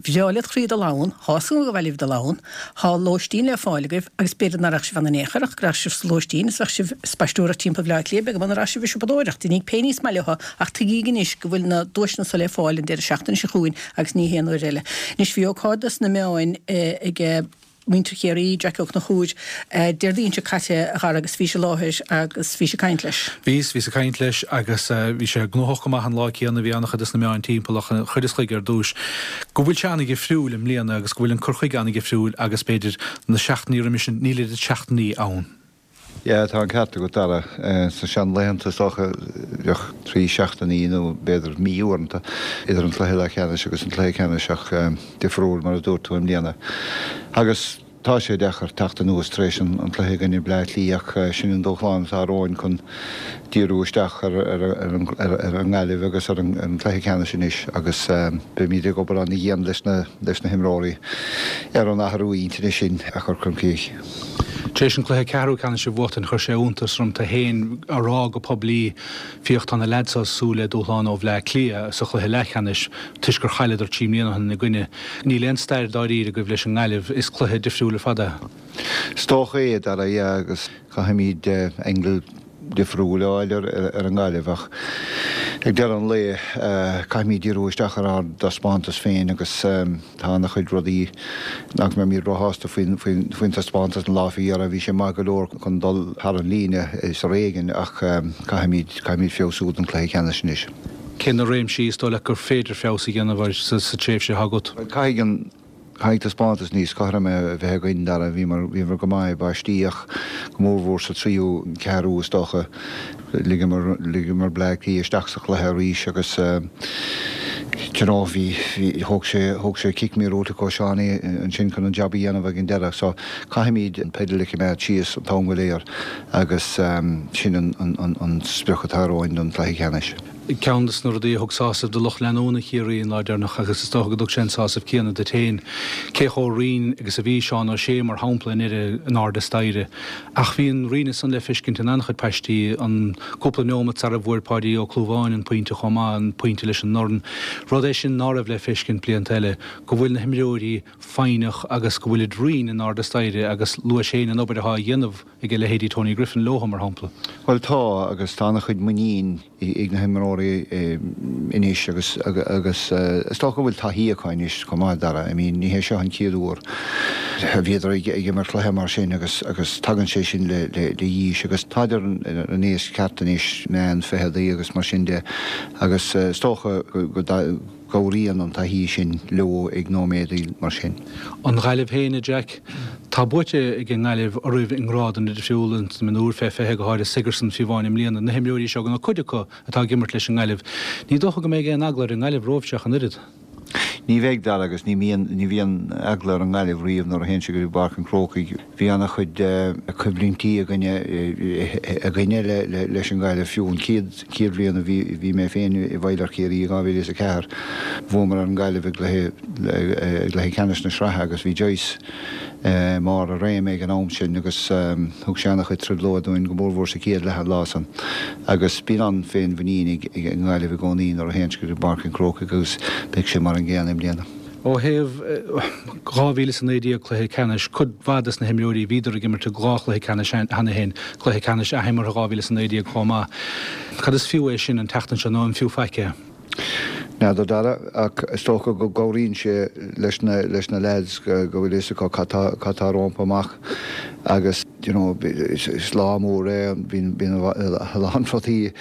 Bhreá led chroí dul ann, thá fhios agam go mhaith libh dul ann, thá lóistín le fáil agaibh agus b'fhéidir nach raghadh sibh ann in aon chor ach go raghadh sibh sa lóistín is bheadh sibh ag spaisteoireacht timpeall Bhaile Átha Cliath, beag beann an raghadh sibh ag siopadóireacht, déanaíg pé ní is maith libh ach tuigíg anois go bhfuil na duaiseanna so le fáil an deireadh seachtaine seo chugainn agus ní haon uair eile. Anois bhí ócáid dos na meáin ag muintir Chiarraí, Jackie Ó Conchúir, Déardaoin seo caite a Dhara agus bhís i láthair agus bhís ag caint leis. Bhíos, bhíos ag caint leis agus bhí sé gnóthach go maith an lá céanna, bhí an-chuid des na meáin timpeall ach chuireas chuige ar dtúis go bhfuil sé an-dhifriúil i mbliana agus go bhfuil an cur chuige an-dhifriúil agus b'fhéidir na seachtainí roimis sin, níl oiread seachtainí ann. Yeah, tá an ceart agat, Dara. Sna seanlaethanta, is dócha, bheadh trí seachtainí nó b'fhéidir mí uaireanta idir an cluiche leathcheannais agus an cluiche ceannais ach difriúil, mar a dúirt tú, i mbliana. Agus tá sé deacair teacht anuas tar éis an cluiche i gcoinne Bleá Cliath ach sin an dúshlán atá romhainn chun díriú isteach ar an nGaillimh agus ar an gcluiche ceannais anois agus beimid ag obair an-dhian leis na leis na himreoirí ar an athrú intinne sin a chur chun cinn. Tar éis an cluiche ceathrú ceannais a bhuachtaint, chuir sé iontas orm tú féin a rá go poiblí, Féach, tá na leaids seo ag súil le dúshlán ó Bhleá Cliath sa chluiche leathcheannais toisc gur chailleadar trí mbliana ó shin ina gcoinne. Níl aon stair dáiríre agaibh leis an nGaillimh, is cluiche difriúil ar fad é. Is dócha é, a Dhara, yeah, agus caithfimid angle difriúil a fháil ar an nGaillimh ach ag deireadh an lae caithfimid díriú isteach ar ár dtaispeántas féin agus tá ana-chuid rudaí nach mbeimid róshásta faoin taispeántas an lá faoi dheireadh. Bhí sé maith go leor chun dul thar an líne is ar éigean ach caithfimid caithfimid feabhsú don chluiche ceannais anois. Cé na réimsí is dóigh leat gur féidir feabhas a dhéanamh air sa tréimhse atá agat? Caithfidh an Caithfidh taispeántas níos cothroime a bheith againn, Dara. Bhíomar, bhíomar go maith i bpaistí ach go mórmhór sa tríú ceathrú is dócha. Ligeamar, ligeamar Bleá Cliath isteach sa chluiche arís agus you know bhí, bhí, thóg sé, thóg sé cic míorúilteach ó Seánie ansin chun an jab a dhéanamh ag an deireadh. So caithfimid an peidal a choimeád síos an t-am go léir agus sin an, an, an, an sprioc atá romhainn don chluiche ceannais. Ceann de na rudaí a thug sásamh do lucht leanúna Chiarraí an lá deireanach, agus is dócha go dtug sé an sásamh céanna duit féin, cé chomh righin agus a bhí Seán Ó Sé, mar shampla, i ndeireadh in airde staighre. Ach bhí an righneas san le feiscint in an-chuid paistí, an cúpla neomat sara bhfuair Páidí Ó Clúmháin an pointe chomh maith, an pointe leis an ndorn. Rud é sin ná raibh le feiscint blianta eile, go bhfuil na himreoirí foighneach agus go bhfuilid righin in airde staighre agus luais féin an obair atá á dhéanamh ag a leithéidí Tony Griffin leothu, mar shampla. Bhuel tá, agus tá an-chuid muinín ag na himreoirí anois agus agus is dócha go bhfuil taithí acu anois chomh maith, Dara. I mean ní hé seo an chéad uair a bhíodar ag imirt cluiche mar sin agus agus tagann sé sin le le haois agus táid ar an aois ceart anois, meán ficheadaí agus mar sin de agus is dócha go gcabhraíonn an taithí sin leo ag nóiméadaí mar sin. An Ghaillimh féin, a Jack. Tá buaite ag an nGaillimh oraibh i ngrádanna difriúla, sna mionúir fé fiche, go háirithe Sigerson, fiú amháin i mbliana. Na himreoirí seo, nó cuid acu, atá ag imirt leis an nGaillimh. Ní dócha go mbeidh aon eagla ar an nGaillimh romhaibhse ach an oiread. Ní bheidh, Dara, agus ní bhíonn, ní bhíonn eagla ar an nGaillimh riamh nuair a théann siad go dtí Páirc an Chrócaigh. Bhí an-chuid coimhlintí againne, againne leis an nGaillimh, fiú an chéad, chéad bhliain a bhí, bhí mé féin i bhfeighil ar Chiarraí i dhá mhíle is a ceathair, bhuamar ar an nGaillimh i gcluiche, i gcluiche ceannais na sraithe agus bhí Joyce i mbarr a réime ag an am sin agus thug sé an-chuid trioblóid dúinn, go mórmhór sa chéad leath an lá san. Agus bíonn an-fhéinmhuinín ag an nGaillimh i gcónaí nuair a théann siad go dtí Páirc an Chrócaigh agus beidh sé mar an gcéanna i mbliana. Ó thaobh dhá mhíle is a naoi déag cluiche ceannais, cuid mhaith des na himreoirí bhíodar ag imirt i dhá chluiche ceannais cheana féin, cluiche ceannais athimeartha dhá mhíle is a naoi déag chomh maith. Cad is fiú é sin an tseachtain seo nó an fiú faic é? N'fheadar Dara, ach is dócha go gcabhraíonn sé leis na leis na leaids go bhfuil fhios acu cad tá cad tá rompu amach agus you know, is lá mór é, bíonn a lán rudaí,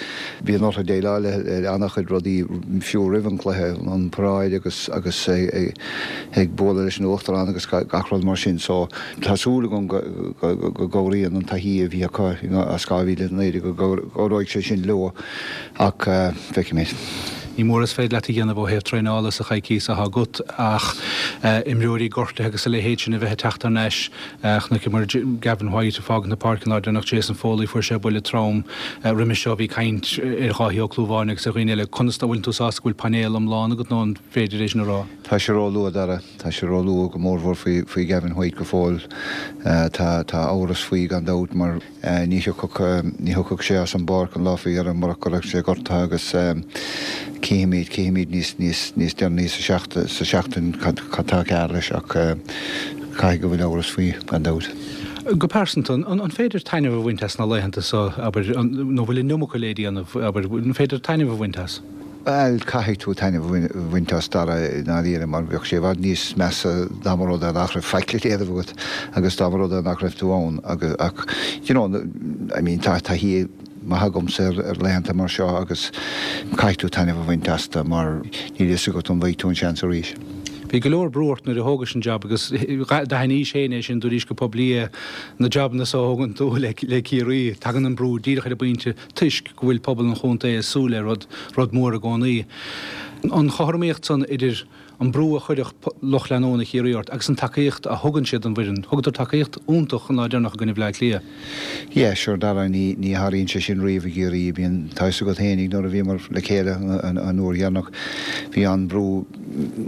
bíonn orthu déileáil le an-chuid rudaí fiú roimh an cluiche, an paráid agus agus ag bualadh leis an uachtarán agus gach rud mar sin. So tá súil agam go go gcabhraíonn an taithí a bhí acu as dhá mhíle a naoi déag go gcabhróidh sé sin leo ach feicfimid. Ní mór is féidir leat a dhéanamh ó thaobh traenála sa choicís atá agat ach imreoirí gortaithe agus a leithéid sin a bheith ag teacht thar n-ais. Chonaiceamar Gavin White ag fágaint na páirce an lá deireanach, Jason Foley, fuair sé buille trom roimhe seo, bhí caint ar Dháithí Ó Clúmháin agus ar dhaoine eile. Conas tá, bhfuil tú sásta go bhfuil painéal iomlán agat nó an féidir é sin a rá? Tá sé ró-luath, Dara. Tá sé ró-luath go mórmhór faoi faoi Gavin White go fóill. Tá tá amhras faoi gan dabht mar ní thiocfadh ní thiocfadh sé as an bpáirc an lá faoi dheireadh murach go raibh sé gortaithe agus cífimid cífimid níos níos níos deireanaí sa seachtain sa seachtain cad cad tá cearr leis ach caithfidh go bhfuil amhras faoi gan dabht. Go pearsanta, an an féidir taitneamh a bhaint as na laethanta seo, abair, nó bhfuil an iomarca le déanamh, abair, an féidir taitneamh a bhaint as? Bhuel, caithfidh tú taitneamh a bhaint as Dara i ndáiríre mar bheadh sé i bhfad níos measa dá mba rud é nach raibh faic le déanamh agat agus dá mba rud é nach raibh tú ann agus ach you know I mean tá taithí maith agamsa ar laethanta mar seo agus caithfidh tú taitneamh a bhaint astu mar níl a fhios agat an bhfaighidh tú an seans arís. Bhí go leor brú ort nuair a thógais an jab agus d'aithnís féin é sin, dúraís go poiblí é, na jabanna so a thógann tú le Ciarraí, tagann an brú díreach ar an bpointe toisc go bhfuil pobal an chontae ag súil le rud, rud mór i gcónaí. An chothromaíocht san idir an brú a chuirfeadh lucht leanúna Chiarraí ort agus an tacaíocht a thugann siad don bhfoireann. Thugadar tacaíocht iontach an lá deireanach i gcoinne Bhleá Cliath. Yeah, sure Dara, ní, ní tharlaíonn sé sin riamh i gCiarraí. Bíonn, tá fhios agat fhéinig nuair a bhíomar le chéile an, an uair dheireanach, bhí an-brú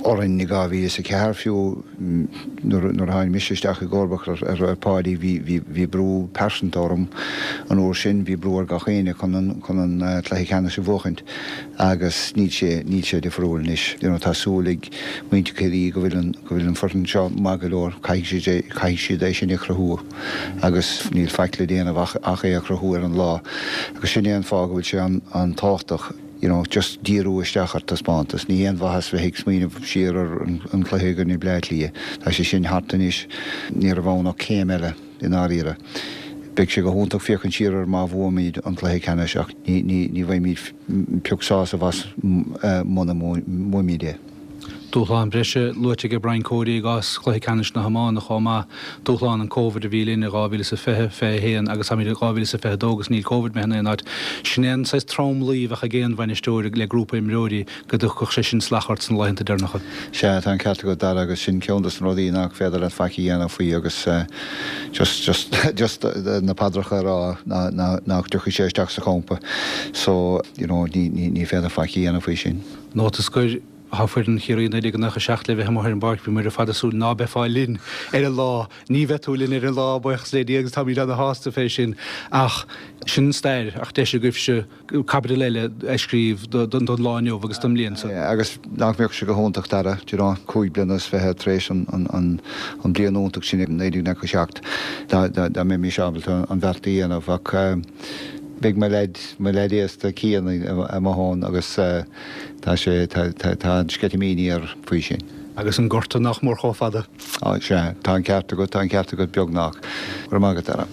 orainn i dhá mhíle is a ceathair fiú nuair a tháinig mise isteach i gcomharbacht ar ar Pháidí bhí bhí bhí brú pearsanta orm an uair sin, bhí brú ar gach éinne chun an chun an cluiche ceannais a bhuachaint agus níl sé níl sé difriúil anois. You know tá súil ag muintir Chiarraí go bhfuil an go bhfuil an foireann seo maith go leor, caithfidh siad é caithfidh siad é sin a chruthú agus níl faic le déanamh ach ach é a chruthú ar an lá agus sin é an fáth go bhfuil sé an an tábhachtach. you know, just díriú isteach ar taispeántas. Ní haon mhaitheas bheith ag smaoineamh siar ar an chluiche i gcoinne Bleá Cliath. Tá sé sin thart anois. Ní raibh ann ach céim eile, i ndáiríre. Beidh sé go hiontach féachaint siar air má bhuaimid an cluiche ceannais ach ní, ní, ní bhfaighimid pioc sásaimh as muna mbuaimid é. Dúshlán breise luaite ag Brian Cody i gcás chluiche ceannais na hiomána chomh maith, dúshlán an Covid a bhí linn i dhá mhíle is a fiche, fiche a haon agus táimid i dhá mhíle is a fiche a dó agus níl Covid imithe in aon áit. Sin é an saghas tromluí a bheadh ag aon bhainisteoir le grúpa imreoirí go dtiocfadh sé sin salach ort sna laethanta deireanacha. Sea, tá an ceart agat Dara agus sin ceann dos na rudaí nach féidir leat faic a dhéanamh faoi agus just, just, just na paidreacha a rá nach dtiocfaidh sé isteach sa champa so, you know, ní, ní, ní féidir faic a dhéanamh faoi sin. Nóta scoir. Tá foireann Chiarraí naoi déag nócha a seacht le bheith amuigh ar an bpáirc. Bhí muid ar fad ag súil ná beifeá linn ar an lá. Ní bheidh tú linn ar an lá, buíochas le Dia agus táimid ana-shásta fé sin. Ach sin an stair, ach deis agaibhse caibidil eile a scríobh don lá inniu agus don mbliain seo. Agus nach mbeadh sé go hiontach, Dara, do you know, cúig bliana is fiche tar éis an bliain iontach sin i naoi déag nócha a seacht, dá mbeimis ábalta an bheart a dhéanamh. Ach beidh mo leaid, mo leaid aosta Cian amuigh ann agus tá sé, tá, tá an-sceitimíní air faoi sin. Agus an gorta nach mór chomh fada. Á, sea, tá an ceart agat, tá an ceart agat, beagnach. Go raibh maith agat, Dara.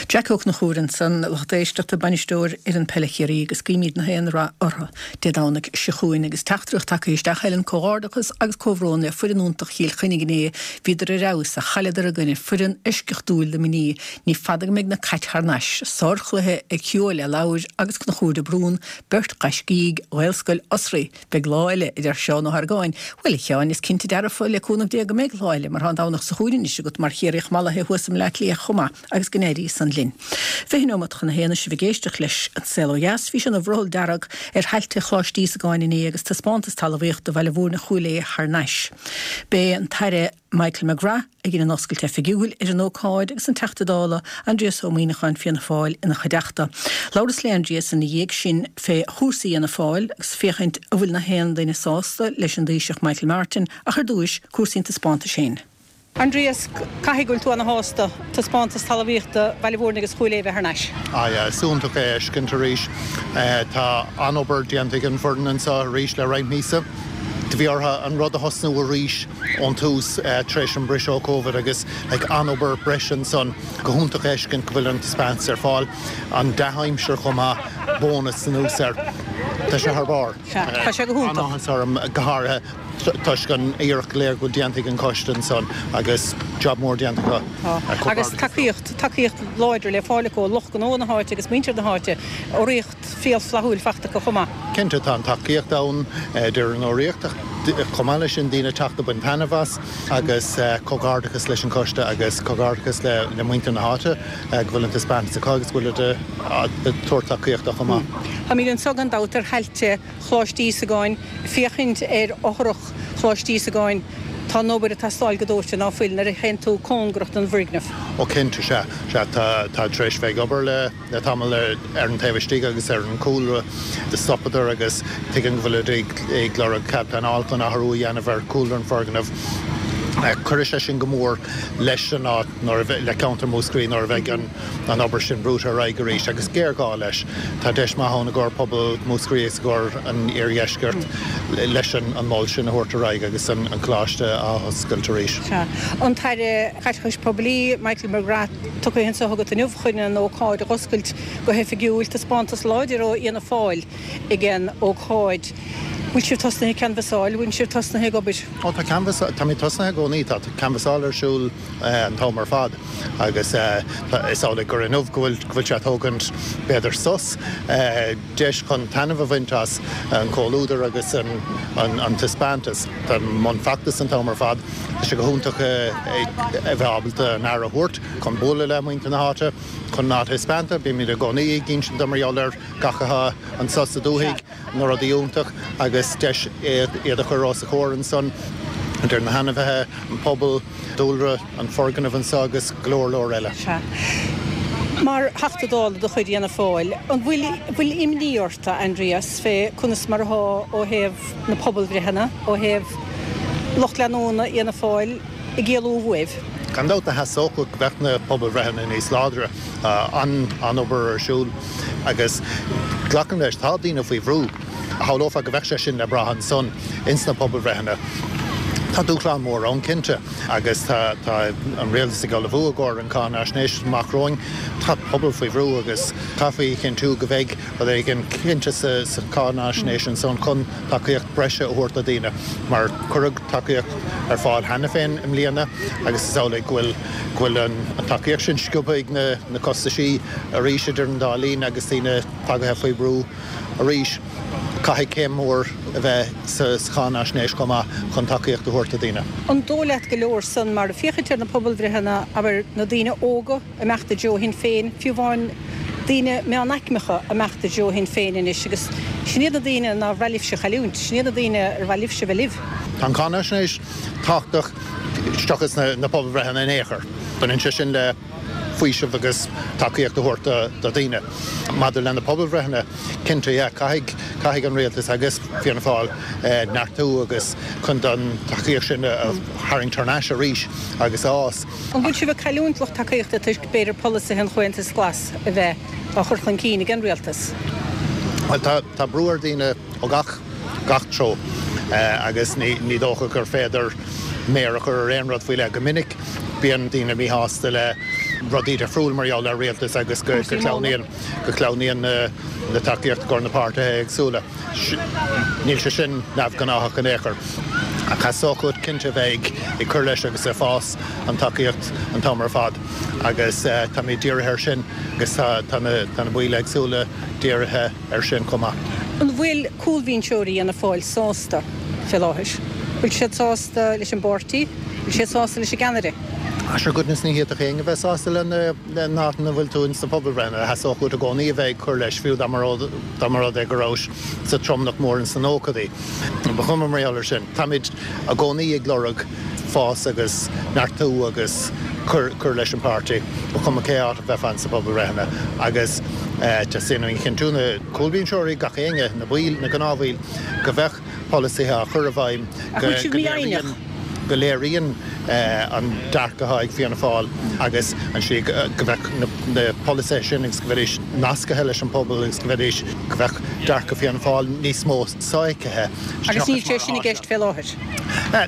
Jack Ó Conchúir ansan, lucht éisteachta, bainisteoir fhoireann peile Chiarraí agus guímid na haon rath orthu Dé Domhnaigh seo chugainn agus teachtaireacht tagtha isteach Helen, Comhghairdeachas agus comhbhrón le foireann iontach Chill Chainnigh inné, bhíodar ar fheabhas ach chailleadar i gcoinne foireann eisceachtúil Luimnigh. Ní fada go mbeidh na Cait thar n-ais. Sárchluiche ag Hugh Ó Leathlobhair agus Conchúr de Brún, beirt ghaiscígh Ghaelscoil Osraí. Beidh lá eile, a deir Seán Ó hArgáin. Bhuel, a Sheáin, is cinnte dearfa, le cúnamh Dé, go mbeidh lá eile, mar tá an Domhnach seo chugainn anois agat mar Chiarraíoch mallaithe thuas i mBleá Cliath chomh maith, agus go n-éirí san linn. Fiche neomat chun a haon is sibh ag éisteacht leis An Saol Ó Dheas. Bhí sé ina bhrothall dearg ar thailte Choláiste Íosagáin inné agus taispeántas talmhaíochta Bhaile Mhúirne Chúil Aodha thar n-ais. B'é an tAire Michael McGrath a dhein an oscailt oifigiúil ar an ócáid agus an Teachta Dála Aindrias Ó Muimhneacháin Fianna Fáil ina chuideachta. Labhras le Aindrias ina dhiaidh sin fé chúrsaí Fhianna Fáil agus féachaint an bhfuil na haon duine sásta leis an dTaoiseach Michael Martin ach ar dtúis cúrsaí an taispeántais féin. Aindrias, caithfidh go bhfuil tú ana shásta taispeántas talmhaíochta Bhaile Mhúirne agus Chúil Aodha a bheith thar n-ais. Ah yeah, is iontach é a fheiscint arís. Tá an-obair déanta ag an bhfoireann anseo arís le roinnt míosa. Do bhí orthu an rud a thosnú arís ón tús tar éis an briseadh ó Covid agus like an-obair breise ansan. Go hiontach a fheiscint go bhfuil an taispeántas ar fáil. An dea-aimsir chomh maith, bónas anuas air. Tá sé thar barr. Sea, tá sé go hiontach. An-áthas orm go háirithe toisc an iarracht go léir go bhfuil déanta ag an choiste ansan agus job mór déanta acu. Tá. Agus tacaíocht, tacaíocht láidir le fáil acu ó lucht gnó na háite agus muintir na háite. Urraíocht fial flaithiúil fachta acu chomh maith. Cinnte, tá an tacaíocht ann idir an urraíocht ach chomh maith leis sin daoine ag teacht ag baint taitneamh as agus comhghairdeachas leis an choiste agus comhghairdeachas le muintir na háite go bhfuil an taispeántas acu agus go bhfuil ag tabhairt tacaíocht dó chomh maith. Táimid anseo gan dabht ar thailte Choláiste Íosagáin, féachaint ar fhothrach Choláiste Íosagáin. Tá an obair ag teastáil go dóite, ná fuil, nuair a théann tú cóngarach don bhfoirgneamh? Ó cinnte, sea. Sea, tá, tá tar éis bheith ag obair le, le tamall ar, ar an taobh istigh agus ar an cúlra. Do stopadar agus tuigim go bhfuilid ag, ag lorg cead pleanála chun athrú a dhéanamh ar chúlra an fhoirgnimh. Cuirfidh sé sin go mór leis an áit nuair a bheidh, le ceantar Mhúscraí nuair a bheidh an, an obair sin brúite ar aghaidh arís agus géarghá leis. Tá deis maith ann i gcomhair pobal Mhúscraí agus i gcomhair an iardheiscirt leis an mol sin a thabhairt ar aghaidh agus an coláiste a athoscailt arís. Sea. An tAire Caiteachais Poiblí, Michael McGrath, tugtha anseo chugat inniu chun an ócáid a dh'oscailt go hoifigiúil. Taispeántas láidir ó Fhianna Fáil ag an ócáid. Bhfuil sibh tosnaithe ag canbhasáil? Bhfuil sibh tosnaithe ag obair? Ó tá canbhas, táimid tosnaithe i gcónaí, tá canbhasáil ar siúl an t-am ar fad agus is amhlaidh gur inniu go bhfuil, go bhfuil sé ag tógaint b'fhéidir sos, deis chun taitneamh a bhaint as an comhluadar agus an, an, an taispeántas. Tá i mbun feachtais an t-am ar fad. Tá sé go hiontach a bheith ábalta an Aire a thabhairt chun bualadh le muintir na háite, chun an áit a thaispeáint. Bímid i gcónaí ag insint dó mar gheall ar gach atá anso sa dúthaigh. na rudaí iontach agus deis iad a chur os a chomhair ansan, idir na hainmhithe, an pobal, dúlra, an foirgneamh anso agus go leor leor eile. Sea. Mar Theachta Dála de chuid Fhianna Fáil, an bhfuil bhfuil imní ort, a Aindrias, fé conas mar athá ó thaobh na pobalbhreitheanna, ó thaobh lucht leanúna Fhianna Fáil ag éalú uaibh? Gan dabht, theastódh go mbeadh na pobalbhreitheanna níos láidre. Tá an-obair ar siúl agus glacaim leis, tá daoine faoi bhrú. Shamhlófá go mbeadh sé sin le brath ansan ins na pobalbhreitheanna. Tá dúshlán mór ann cinnte agus tá an rialtas ag ullmhú i gcomhair an cáinaisnéis amach romhainn. Tá pobal faoi bhrú agus caithfí a chinntiú go mbeidh rud éigin cinnte sa cháinaisnéis ansan chun tacaíocht breise a thabhairt do dhaoine mar cuireadh tacaíocht ar fáil cheana féin i mbliana agus is amhlaidh go bhfuil go bhfuil an tacaíocht sin sciobtha ag na costaisí arís idir an dá linn agus daoine tagaithe faoi bhrú arís. Caithfidh céim mhór a bheith sa cháinaisnéis chomh maith chun tacaíocht a thabhairt do dhaoine. An dóigh leat go leor san mar féachaint ar na pobalbhreitheanna, abair, na daoine óga ag imeacht i dtreo Shinn Féin, fiú amháin daoine meánaicmeacha ag imeacht i dtreo Shinn Féin anois agus sin iad na daoine nár mhaith libhse a chailliúint, sin iad na daoine ar mhaith libhse bheith libh. Tá an cháinaisnéis tábhachtach seachas na pobalbhreitheanna in aon chor. Baineann sé sin le faoiseamh agus tacaíocht a thabhairt do dhaoine. Maidir le na pobalbhreitheanna, cinnte, yeah, caithfidh, caithfidh an rialtas agus Fianna Fáil neartú agus chun an tacaíocht sin a tharraingt thar n-ais arís agus a fhás. An bhfuil sibh ag cailliúint lucht tacaíochta toisc, b'fhéidir, polasaithe an Chomhaontais Ghlais a bheith á chur chun cinn ag an rialtas? Bhuel, tá, tá brú ar dhaoine ó gach, gach treo agus ní, ní dócha gur féidir méar a chur ar aon rud faoi leith. Go minic bíonn daoine míshásta le rudaí difriúil mar gheall ar rialtas agus go sleamhnaíonn, go sleamhnaíonn na tacaíocht i gcomhair na páirtithe éagsúla. Níl sé sin neamhghnáthach in aon chor. Ach theastódh uait cinnte bheith ag cur leis agus ag fás an tacaíocht an t-am ar fad agus táimid dírithe air sin agus tá na baill éagsúla dírithe air sin chomh maith. An bhfuil cúlbhinseoirí Fhianna Fáil sásta fé láthair? Bhfuil siad sásta leis an bpáirtí? Bhfuil siad sásta leis an gceannaire? Sure goodness ní fhéadfadh éinne bheith sásta lena an áit ina bhfuil tú ins na pobalbhreitheanna. Theastódh uait i gcónaí a bheith ag cur leis, fiú dá mba rud é go rabhais sa tromlach mór ins na nóchaidí. Ba chuma mar gheall air sin. Táimid i gcónaí ag lorg fás agus neartú agus cur cur leis an páirtí, ba chuma cé áit a bheifeá ins na pobalbhreitheanna. Agus teastaíonn uainn a chinntiú, na cúlbhinseoirí, gach éinne, na baill, na gnáthbhaill, go bheadh polasaithe á chur i bhfeidhm go go léiríonn. go léiríonn an dearcadh atá ag Fianna Fáil agus an slí go bheadh na polasaithe sin agus go bheidís nascaithe leis an pobal agus go bheidís, go bheadh dearcadh Fianna Fáil níos mó sofheicthe. Agus níl sé sin i gceist fé láthair?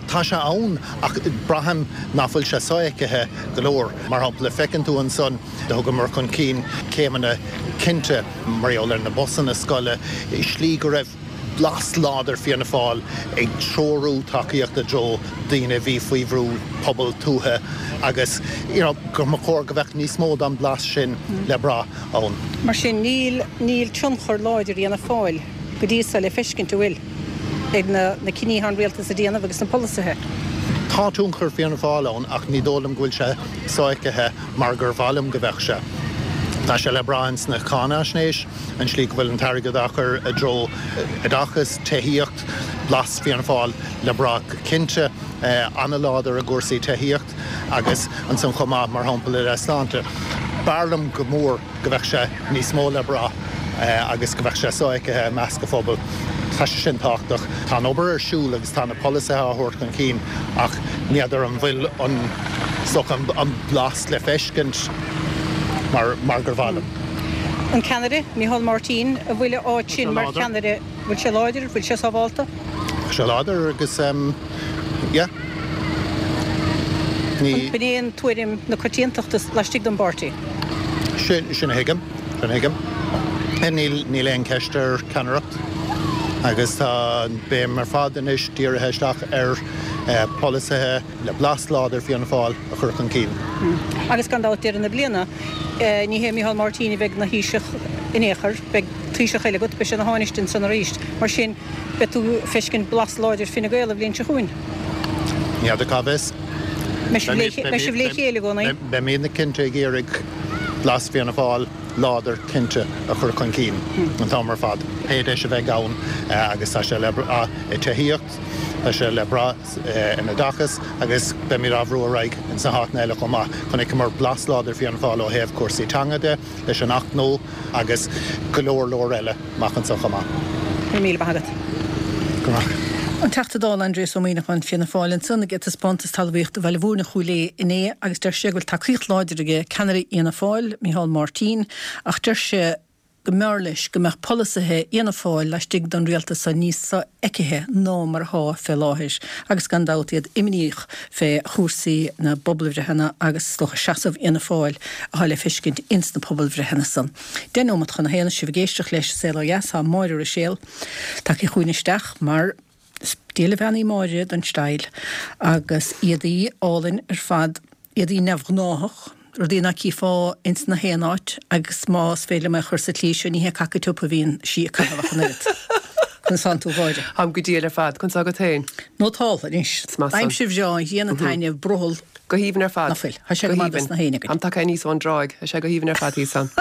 Tá sé ann ach braithim nach bhfuil sé sofheicthe go leor. Mar shampla, feiceann tú ansan, do thugamar chun cinn céimeanna cinnte mar gheall ar na busanna scoile, slí go raibh blas láidir Fianna Fáil ag treorú tacaíocht i dtreo daoine a bhí faoi bhrú, pobal tuaithe agus you know go mba chóir go bheadh níos mó den bhlas sin le brath ann. Mar sin, níl níl tionchar láidir Fhianna Fáil go dtí so le feiscint, an bhfuil, ag na na cinní atá an rialtas a déanamh agus na polasaithe? Tá tionchar Fianna Fáil ann ach ní dóigh liom go bhfuil sé sofheicthe mar gur mhaith liom go bheadh sé. Tá sé le brath ins na cáinaisnéis, an slí go bhfuil an t-airgead á chur i dtreo oideachas, tithíocht, blas Fianna Fáil le brath go cinnte, an-láidir i gcúrsaí tithíocht agus ansan chomh maith, mar shampla, i leith sláinte. B'fhearr liom go mór go bheadh sé níos mó le brath agus go bheadh sé sofheicthe i measc an phobail. Tá sé sin tábhachtach. Tá an obair ar siúl agus tá na polasaithe á thabhairt chun cinn ach ní fheadar an bhfuil an, is dócha, an blas le feiscint mar, mar gur mhaith liom. An ceannaire, Micheál Martin, an bhfuil a áit sin mar cheannaire, bhfuil sé láidir, bhfuil sé sábhálta? Tá sé láidir agus yeah. Ní. B'in é an tuairim na coitiantachta laistigh den bpáirtí. Sin, sin a thuigim. Sin a thuigim. Níl, níl aon cheist ar cheannaireacht agus tá an béim ar fad anois dírithe isteach ar pholasaithe le blas láidir Fianna Fáil a chur chun cinn. Agus gan dabht deireadh na bliana, ní hé Micheál Martin a bheidh ina Thaoiseach in aon chor, beidh Taoiseach eile agat, beidh sé ina Thánaiste ansan arís. Mar sin, beidh tú ag feiscint blas láidir Fine Gael an bhliain seo chugainn. Ní fheadar cá bhfios. Beidh sibh le chéile i gcónaí. Beimidne cinnte ag iarraidh blas Fianna Fáil láidir cinnte a chur chun cinn an t-am ar fad, pé deis a bheidh ann agus tá sé le brath i tithíocht, tá sé le brath in oideachas agus beimid á bhrú ar aghaidh ins na háiteanna eile chomh maith. Chonaiceamar blas láidir Fianna Fáil ó thaobh cúrsaí teanga de leis an Acht nua agus go leor leor eile amach anseo chomh maith. Go raibh míle maith agat. Go raibh maith. An Teachta Dála Aindrias Ó Muimhneacháin, Fianna Fáil, ansan ag taispeántas talmhaíochta Bhaile Mhúirne Chúil Aodha inné agus deir sé go bhfuil tacaíocht láidir aige ceannaire Fhianna Fáil, Micheál Martin, ach deir sé go mb'fhearr leis go mbeadh polasaithe Fhianna Fáil laistigh den rialtas seo níos sofheicthe ná mar atá fé láthair agus gan dabht iad imníoch fé chúrsaí na bpobalbhreitheanna agus is dócha seasamh Fhianna Fáil atá le feiscint ins na pobalbhreitheanna san. Deich nóimeat chun a haon is sibh ag éisteacht leis Saol Ó Dheas tá Máire Ruiséal tagtha chugainn isteach mar is diail a bhean í Máire don style agus éadaí álainn ar fad, éadaí neamhghnáthach, rudaí ná cífeá ins na haon áit agus más féidir liom é a chur sa tslí seo ní hé caca tiubh a bhíonn sí ag caitheamh ach an oiread. Conas tánn tú a Mháire? Táim go diail ar fad. Conas tá agat féin? Nótáltha anois. Is maith san. Aimsir bhreá, an ghrian ag taitneamh, brothall. Go haoibhinn ar fad. Ná fuil. Tá sé go maith dos na héinne againn. Táim tagtha aníos ón dtráigh. Tá sé go haoibhinn ar fad thíos ann.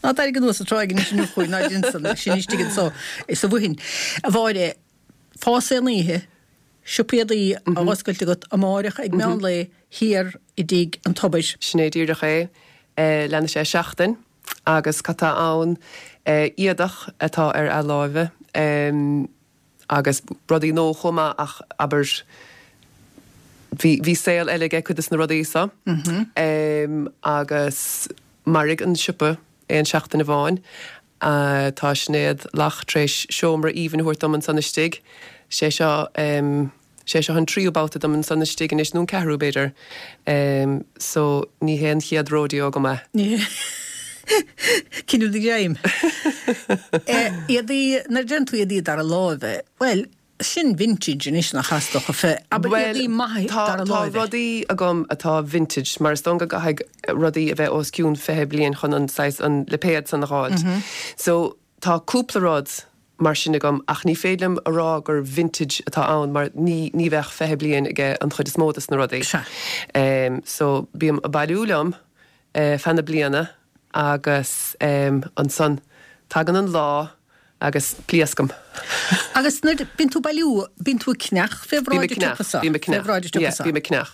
Ná d'éirigh anuas an tráigh anois inniu chugainn, ná déan san, sin istigh anso sa bhFaoithin. A Mháire, fás aon oíche, siopa éadaí á oscailt agat amáireach ag meán lae thiar i dTigh an Tobair. Sin é díreach é. Leanfaidh sé seachtain agus cad tá ann? Éadach atá ar athláimhe. Agus rudaí nua chomh maith ach abair bhí bhí saol eile aige cuid de na rudaí so. Agus mairfidh an siopa aon seachtain amháin. Tá Sinéad Lach tar éis seomra aoibhinn a thabhairt dom ansan istigh. Sé seo sé seo an tríú babhta dom ansan istigh anois, nó an ceathrú b'fhéidir. So ní hé an chéad rodeo agam é. Ní hé. Cinneadh do ghreim. Éadaí, nuair a deireann tú éadaí dara láimhe, bhuel, sin vintage anois nach ea is dócha, fé, abair éadaí maithe dara Tá láimhe. rudaí agam atá vintage, mar is dóigh go gcaithfidh rudaí a bheith os cionn fiche bliain chun an saghas, an lipéad san a dh'fháilt. So tá cúpla rud mar sin agam ach ní féidir liom a rá gur vintage atá ann mar ní, ní bheadh fiche bliain aige an chuid is mó des na rudaí. Sea. So bím ag bailiú liom feadh na bliana agus ansan tagann an lá agus pléascaim. Agus nuair bíonn tú ag bailiú, bíonn tú ag ceannach fé Bím bhráid ag an ceannach, tsiopa so? bím ag Fé ceannach, bhráid an tsiopa yeah, so? bím ag ceannach.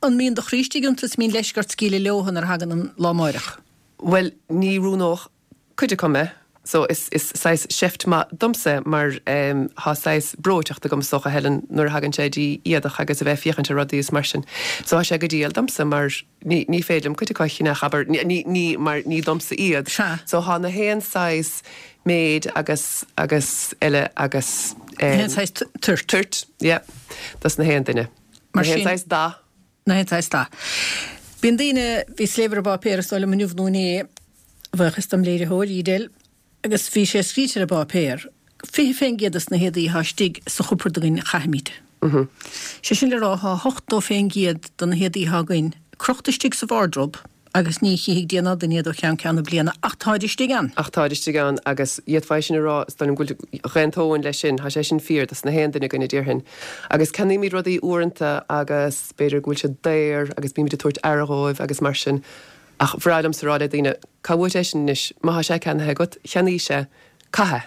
An mbíonn do chroí istigh iontu is mbíonn leisce ort scaoileadh leotha nuair a thagann an lá amáireach? Bhuel, ní roghnódh cuid acu mé, So is is saghas seift maith domsa mar um, thá saghas breoiteacht agam is dócha Helen nuair a thagann sé dtí éadach agus a bheith féachaint ar rudaí is mar sin. So thá sé go diail domsa mar ní ní féidir liom cuid acu a cheannach abair ní ní ní mar ní domsa iad. Sea. So thá na haon saghas méid agus agus eile agus um, Na haon saghas toirt. Toirt, yeah. Dos na haon duine. Mar Na haon sin- saghas dath. Na haon saghas dath. Bíonn daoine, bhíos ag léamh ar an bpáipéar is dóigh liom inniu nó inné, buíochas dom léiritheoir Edel, agus bhí sé scríte ar an bpáipéar, fiche fén gcéad des na héadaí atá istigh sa chupard againn a chaithimid. Sé sin le rá thá ochtó fén gcéad de na héadaí atá againn crochta istigh sa wardrobe agus ní chífidh Dia ná duine iad ó cheann ceann na bliana ach táid istigh ann. Ach táid istigh ann agus d'fhéadfá é sin a rá, is dóigh liom go bhfuil d'aontóinn leis sin, tá sé sin fíor dos na haon duine againn a déarfainn. Agus ceannaímid rudaí uaireanta agus b'fhéidir go bhfuil siad daor agus bímid ag tabhairt aire dhóibh agus mar sin. Ach bhreá liomsa rá le daoine, cá bhfuair é sin anois, má thá sé ceannaithe agat, cheannaís é, caith é.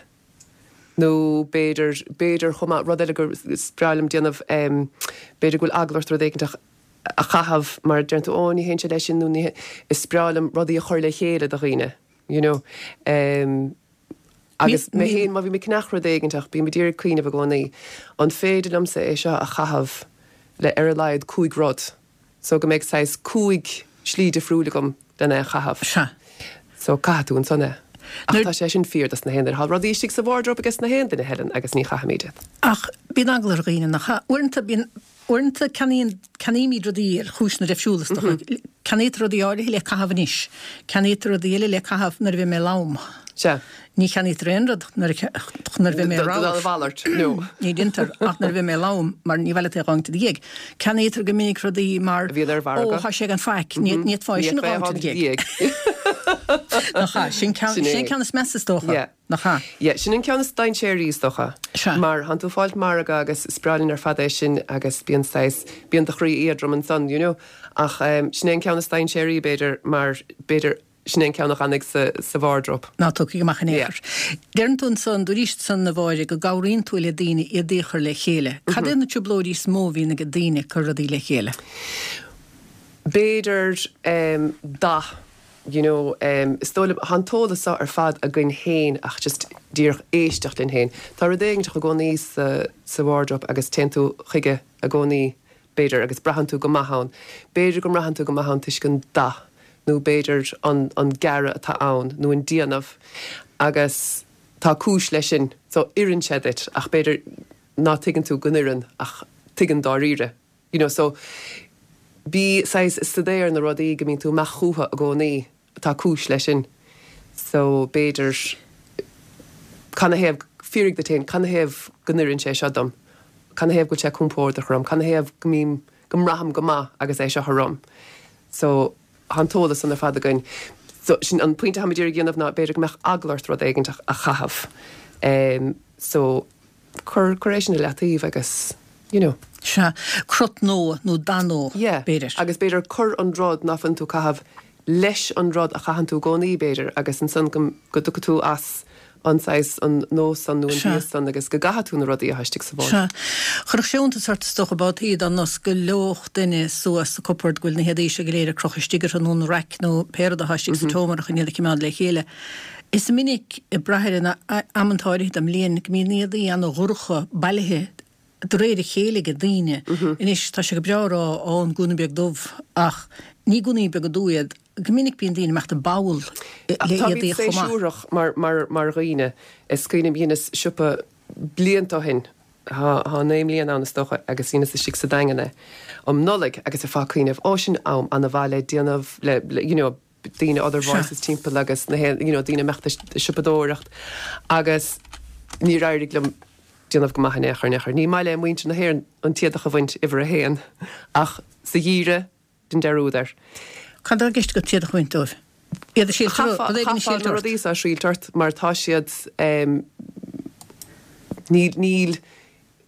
Nó b'fhéidir, b'fhéidir chomh maith, rud eile gur is breá liom déanamh, b'fhéidir go bhfuil eagla ort rud éigin a chaitheamh mar deireann tú, ó ní théann sé leis sin nó ní, is breá liom rudaí a chur le chéile do dhaoine, you know. Agus mé féin, má bhím ag ceannach rud éiginteach, bím ag iarraidh cuimhneamh i gcónaí, an féidir liomsa é seo a chaitheamh le ar a laghad cúig rud? So go mbeidh saghas cúig slí difriúil agam lena é a chaitheamh. Sea. So caithfidh tú ansan é. Ach tá sé sin fíor dos na haon duine. Tá rudaí istigh sa wardrobe ages na haon duine, Helen, agus ní chaithimid iad. Ach bíonn eagla ar dhaoine, nach ea? Uaireanta bíonn, uaireanta ceannaíonn, ceannaímid rudaí ar chúiseanna difriúla, is dócha. Ceannaítear rudaí áirithe le caitheamh anois. Ceannaítear rudaí eile le caitheamh nuair a bheidh mé lom. Sea. Ní cheannaítear aon rud nuair a, nuair a bheidh mé ramhar. A mhalairt, no. Ní deintear ach nuair a bheidh mé lom, mar ní bhfuil é dhá déag. Ceannaítear go minic rudaí mar, A bhíonn ar mhargadh. Ó, tá sé gan faic, ní fhéadfá é sin a dh'fhágaint i do dhiaidh. Nach ea? Sin ceann, Sin é. sin an ceann is measa is dócha. Yeah. Nach ea? Yeah, sin an ceann is dainséaraí is dócha. Sea. Mar thánn tú ag fáilt margadh agus is breá linn ar fad é sin agus bíonn saghas, bíonn do chroí éadrom ansan, you know. Ach um, sin é an ceann is dainséaraí b'fhéidir mar b'fhéidir sin é an ceann a fhanfaidh sa, sa wardrobe. Ná tiocfaidh amach in aon Yeah. chor. Deireann tú ansan, dúraís ansan a Mháire go gcabhraíonn tú le daoine éadaí a chur le chéile. Cad é na trioblóidí is mó a bhíonn ag daoine ag cur rudaí le chéile? B'fhéidir um, dath, you know, um, is dóigh liom, thá an t-eolas seo ar fad againn féin ach just díreach éisteacht linn féin. Tá rud éigin i gcónaí sa, sa wardrobe agus téann tú chuige i gcónaí, b'fhéidir, agus braitheann tú go maith ann. B'fhéidir go mbraitheann tú go maith ann toisc an dath nó b'fhéidir an, an gearradh atá ann nó an déanamh agus tá cúis leis sin. So oireann sé duit ach b'fhéidir ná tuigeann tú go n-oireann ach tuigeann dáiríre. You know, so bí saghas ag staidéar ar na rudaí go mbíonn tú amach chucu i gcónaí, tá cúis leis sin. So b'fhéidir canathaobh, fiafraigh díot féin, canathaobh go n-oireann sé seo dom? Canathaobh go bhfuil sé compordach orm? Canathaobh go mbím, go mbraithim go maith agus é seo orm? So tá an t-eolas san ar fad againn. So sin an pointe atáim ag iarraidh a dhéanamh ná b'fhéidir go mbeadh eagla ort rud éigin a chaitheamh. Um, so cuir, cuir é sin i leataobh agus, you know. Sea, crot nua nó dath nua, Yeah, b'fhéidir. Agus b'fhéidir cuir an rud ná fuil tú ag caitheamh leis an rud a chaitheann tú i gcónaí, b'fhéidir, agus ansan go, go dtiocfaidh tú as an saghas, an nós san nó an Sea. bhias san agus go gcaithfidh tú na rudaí atá istigh sa bhord. Sea. Chuirfeadh sé iontas ort is dócha babhtaí dá n-osclódh duine suas sa cupboard go bhfuil na héadaí seo go léir ag crochadh istigh orthu nó na raic nó pé rud atá istigh sa tseomra chun iad a choimeád le chéile. Is minic ag brath ar an amanta áirithe den mbliain go mbíonn éadaí ana-dhorcha bailithe de réir a chéile ag daoine. Anois tá sé go breá a rá ó an gúna beag dubh ach ní gúnaí beaga dubha iad. Go minic bíonn daoine ag imeacht i bpoll le Táimid éadaí chomh maith. séasúrach mar, mar, mar dhaoine. Is cuimhin liom dheineas siopa blianta ó shin, thá, thá naoi mbliana ann is dócha, agus dheineas istigh sa Daingean é um Nollaig agus ar feadh cuimhneamh, ó sin am ana-mhaith le déanamh, le, le, you know, daoine other voices timpeall agus na haon, you know, daoine imeacht ag siopadóireacht agus níor éirigh liom déanamh go maith in aon chor, in aon chor. Ní maith le muintir na hÉireann an t-éadach a bhaint uimhir a haon ach sa gheimhreadh dein dearúd air. Cad atá i gceist agat t-éadach a bhaint dóibh? Iad a thriailt Chaithfeá rud éigin a chaithfeá thriailt na ort. rudaí seo a thriailt ort mar tá siad ehm, níl, níl,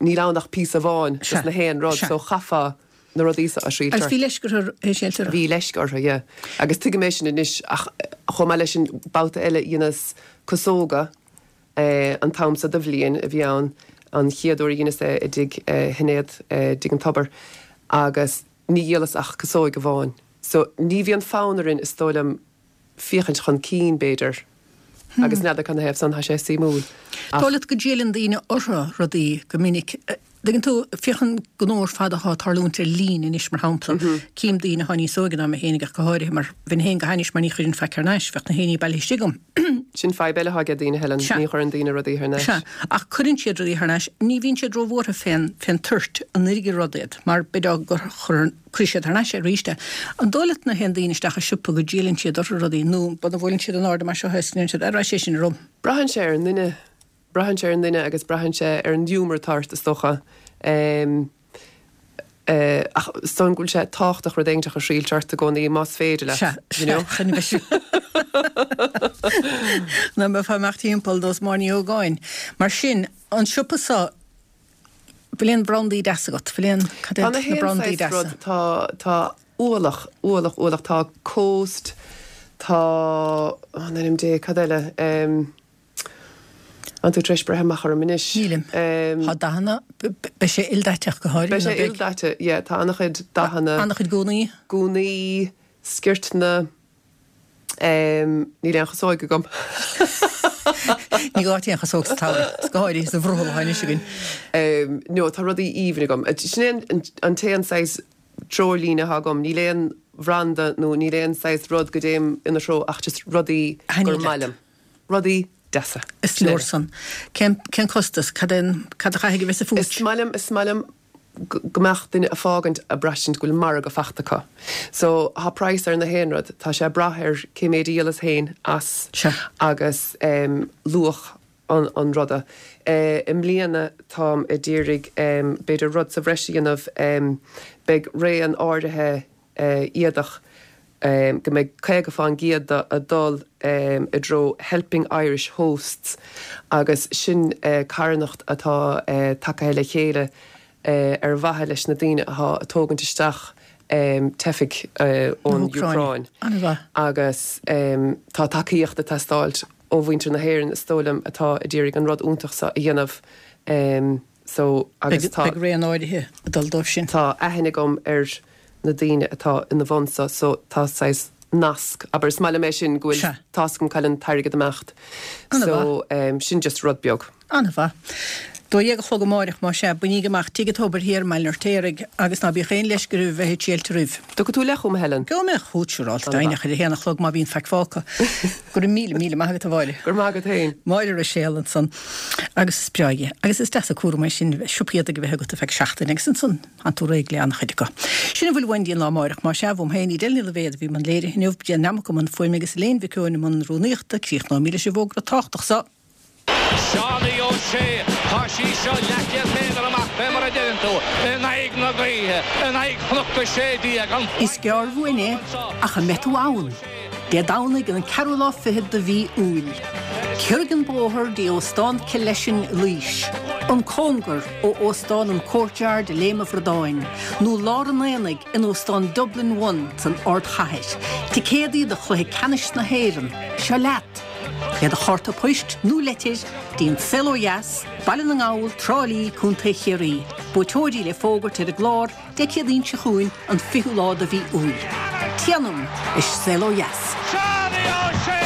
níl ann ach píosa amháin Sea, dos na haon rud sea. so chaithfeá na rudaí seo a thriailt Agus ort. bhí leisce orthu é a thriailt orthu? Bhí leisce orthu, yeah. Agus tuigim é sin anois ach chomh maith leis sin babhta eile dheineas casóga eh, an t-am seo de bhliain a bhí ann an chéad uair a dheineas é i dtigh eh, Shinéad eh, dtigh an Tobar agus ní dhíolas ach casóig amháin. So ní bhíonn fonn orainn is dóigh liom féachaint chun cinn b'fhéidir. Agus n'fheadar canathaobh san, tá sé suimiúil. Dóigh leat go dtriaileann daoine orthu rudaí go minic. Tuigeann tú, féach an gnó ar fad atá ag tarlúint ar líne anois, mar shampla. Cím daoine atá níos óige ná mé féinig ach go háirithe, mar bheinn féin go hainnis mar ní chuirfinn faic thar n-ais, bheadh na haon ní bailithe istigh agam. Sin fadhb eile atá ag daoine, Helen, Sea. ní chuireann daoine rudaí thar n-ais. Sea, ach cuireann siad rudaí thar n-ais. Ní bhíonn siad róbhuartha fén, fén toirt, an oirfidh rud iad, mar b'fhéidir gur chuir, cuirfidh siad thar n-ais é arís é. An dóigh leat nuair a théann daoine isteach i siopa go dtriaileann siad orthu rudaí nó muna bhfuileann siad in airde mar seo is go ndeireann siad, 'Ar sé sin orm? Braitheann sé ar an nduine. Braitheann sé ar an duine agus braitheann sé ar an ghiúmar atá ort, is dócha. Ach is dóigh liom go bhfuil sé tábhachtach rud éiginteach a thriailt ort i gcónaí, más féidir leat, Sea, you know. sea, chun a bheith Ná mbeifeá ag imeacht timpeall nós Máire Ní Ógáin. Mar sin, an siopa seo, bhfuil aon brandaí deasa agat? Bhfuil aon, cad Tá iad na na haon brandaí saghas deasa? rud, tá, tá ualach, ualach, ualach, tá Coast, tá, ó, in ainm Dé, cad eile? Tá tú tar éis breith amach orm anois. Nílim. Tá dathanna, beidh sé ildaiteach go háirithe, Beidh nó sé beidh? ildaite, yeah, tá an-chuid dathanna. An-chuid gúnaí. Gúnaí, sciortanna, níl aon chasóig agam. Ní gá aon chasóg sa tsamhradh, is go háirithe sa bhrothall atá anois againn. No, tá rudaí aoibhinn agam. Sin é an t-aon saghas treoirlíne atá agam, níl aon bhranda nó níl aon saghas rud go dtéim ina threo ach just rudaí Thaitníonn gur leat. maith liom. Rudaí deasa. Is leor san. Cén, cén costas? Cad é an, cad a chaithfidh a bheith sa phúits? Is maith liom, is maith liom go mbeadh duine ag fágaint ag braistint go bhfuil margadh fachta acu. So, tá praghas ar na haon rud, tá sé ag brath ar cé méid a dhíolas féin as Sea. agus em luach an, an ruda. Eh, i mbliana táim a d'iarraidh em b'fhéidir rud sa bhreis a dhéanamh, em beidh raon áirithe eh éadach go mbeidh caoga fán gcéad de ag dul i dtreo Helping Irish Hosts agus sin carthanacht atá tagtha le chéile ar mhaithe leis na daoine atá ag tógaint isteach teifigh ón Úcráin agus tá tacaíocht ag teastáilt ó mhuintir na hÉireann is dóigh liom atá a d'iarraidh an rud iontach seo a dhéanamh. So agus tá. Beidh raon áirithe ag dul dóibh sin. Tá aithne agam ar na daoine atá ina bhun so, so tá saghas nasc, abair, is maith liom é sin go bhfuil, Sea. tá's agam cá bhfuil an t-airgead ag imeacht. Ana So mhaith. em sin just rud beag. Ana mhaith. Dó dhéag a chlog amáireach, más ea, bainíg amach Tigh an Tobair Thiar i mBaile an Fheirtéaraigh agus ná bíodh aon leisce oraibh bheith ag triailt roimh. Dtiocfaidh tú leat chugam, a Helen? Gheobhaidh mé chugat siúráilte, Ana mhaith. deimhneach ar a haon a chlog má bhíonn faic fágtha. Go raibh míle míle maith agat, a Mháire. Go raibh maith agat féin. Máire Ruiséal ansan. Agus is breá é. Agus is deas an cúram é sin siopa éadaigh a bheith agat ar feadh seachtaine agus ansan tánn tú réidh le an-chuid acu. Sin a bhfuil uainn go dtí an lá amáireach. Más ea, uaim féin, Edel Ní Loibhéad a bhí i mbun léirithe inniu, Déan Neamac i mbun fuaime agus Elaine Mhic Eoin i mbun rúnaíochta. Críochnóimid leis an bhfógra tábhachtach so. Seánie O'Shea, Tá sí seo leathchéad méadar amach, fé mar a deireann tú, in aghaidh na gaoithe, in aghaidh Chnoc a Sé Déag, an Is gearr uainn é, ach an mbeidh tú ann? Dé Domhnaigh an ceathrú lá fichead de mhí Iúil. Ciorraigh an bóthar dtí Óstán Killeshin i Laois, an cóngar ó Óstán an Courtyard i Léim an Bhradáin, nó lár an aonaigh in Óstán Dublin One san ardchathair. Ticéadaí do chluiche ceannais na hÉireann, seo leat! Le do chárta poist nó leitir dtí An Saol Ó Dheas, Baile na nGall, Trá Lí, Contae Chiarraí. Buaiteoirí le fógairt ar an gclár Dé Céadaoin seo chugainn, an fichiú lá de mhí Iúil. Téanam is Saol Ó Dheas. Seánie O'Shea!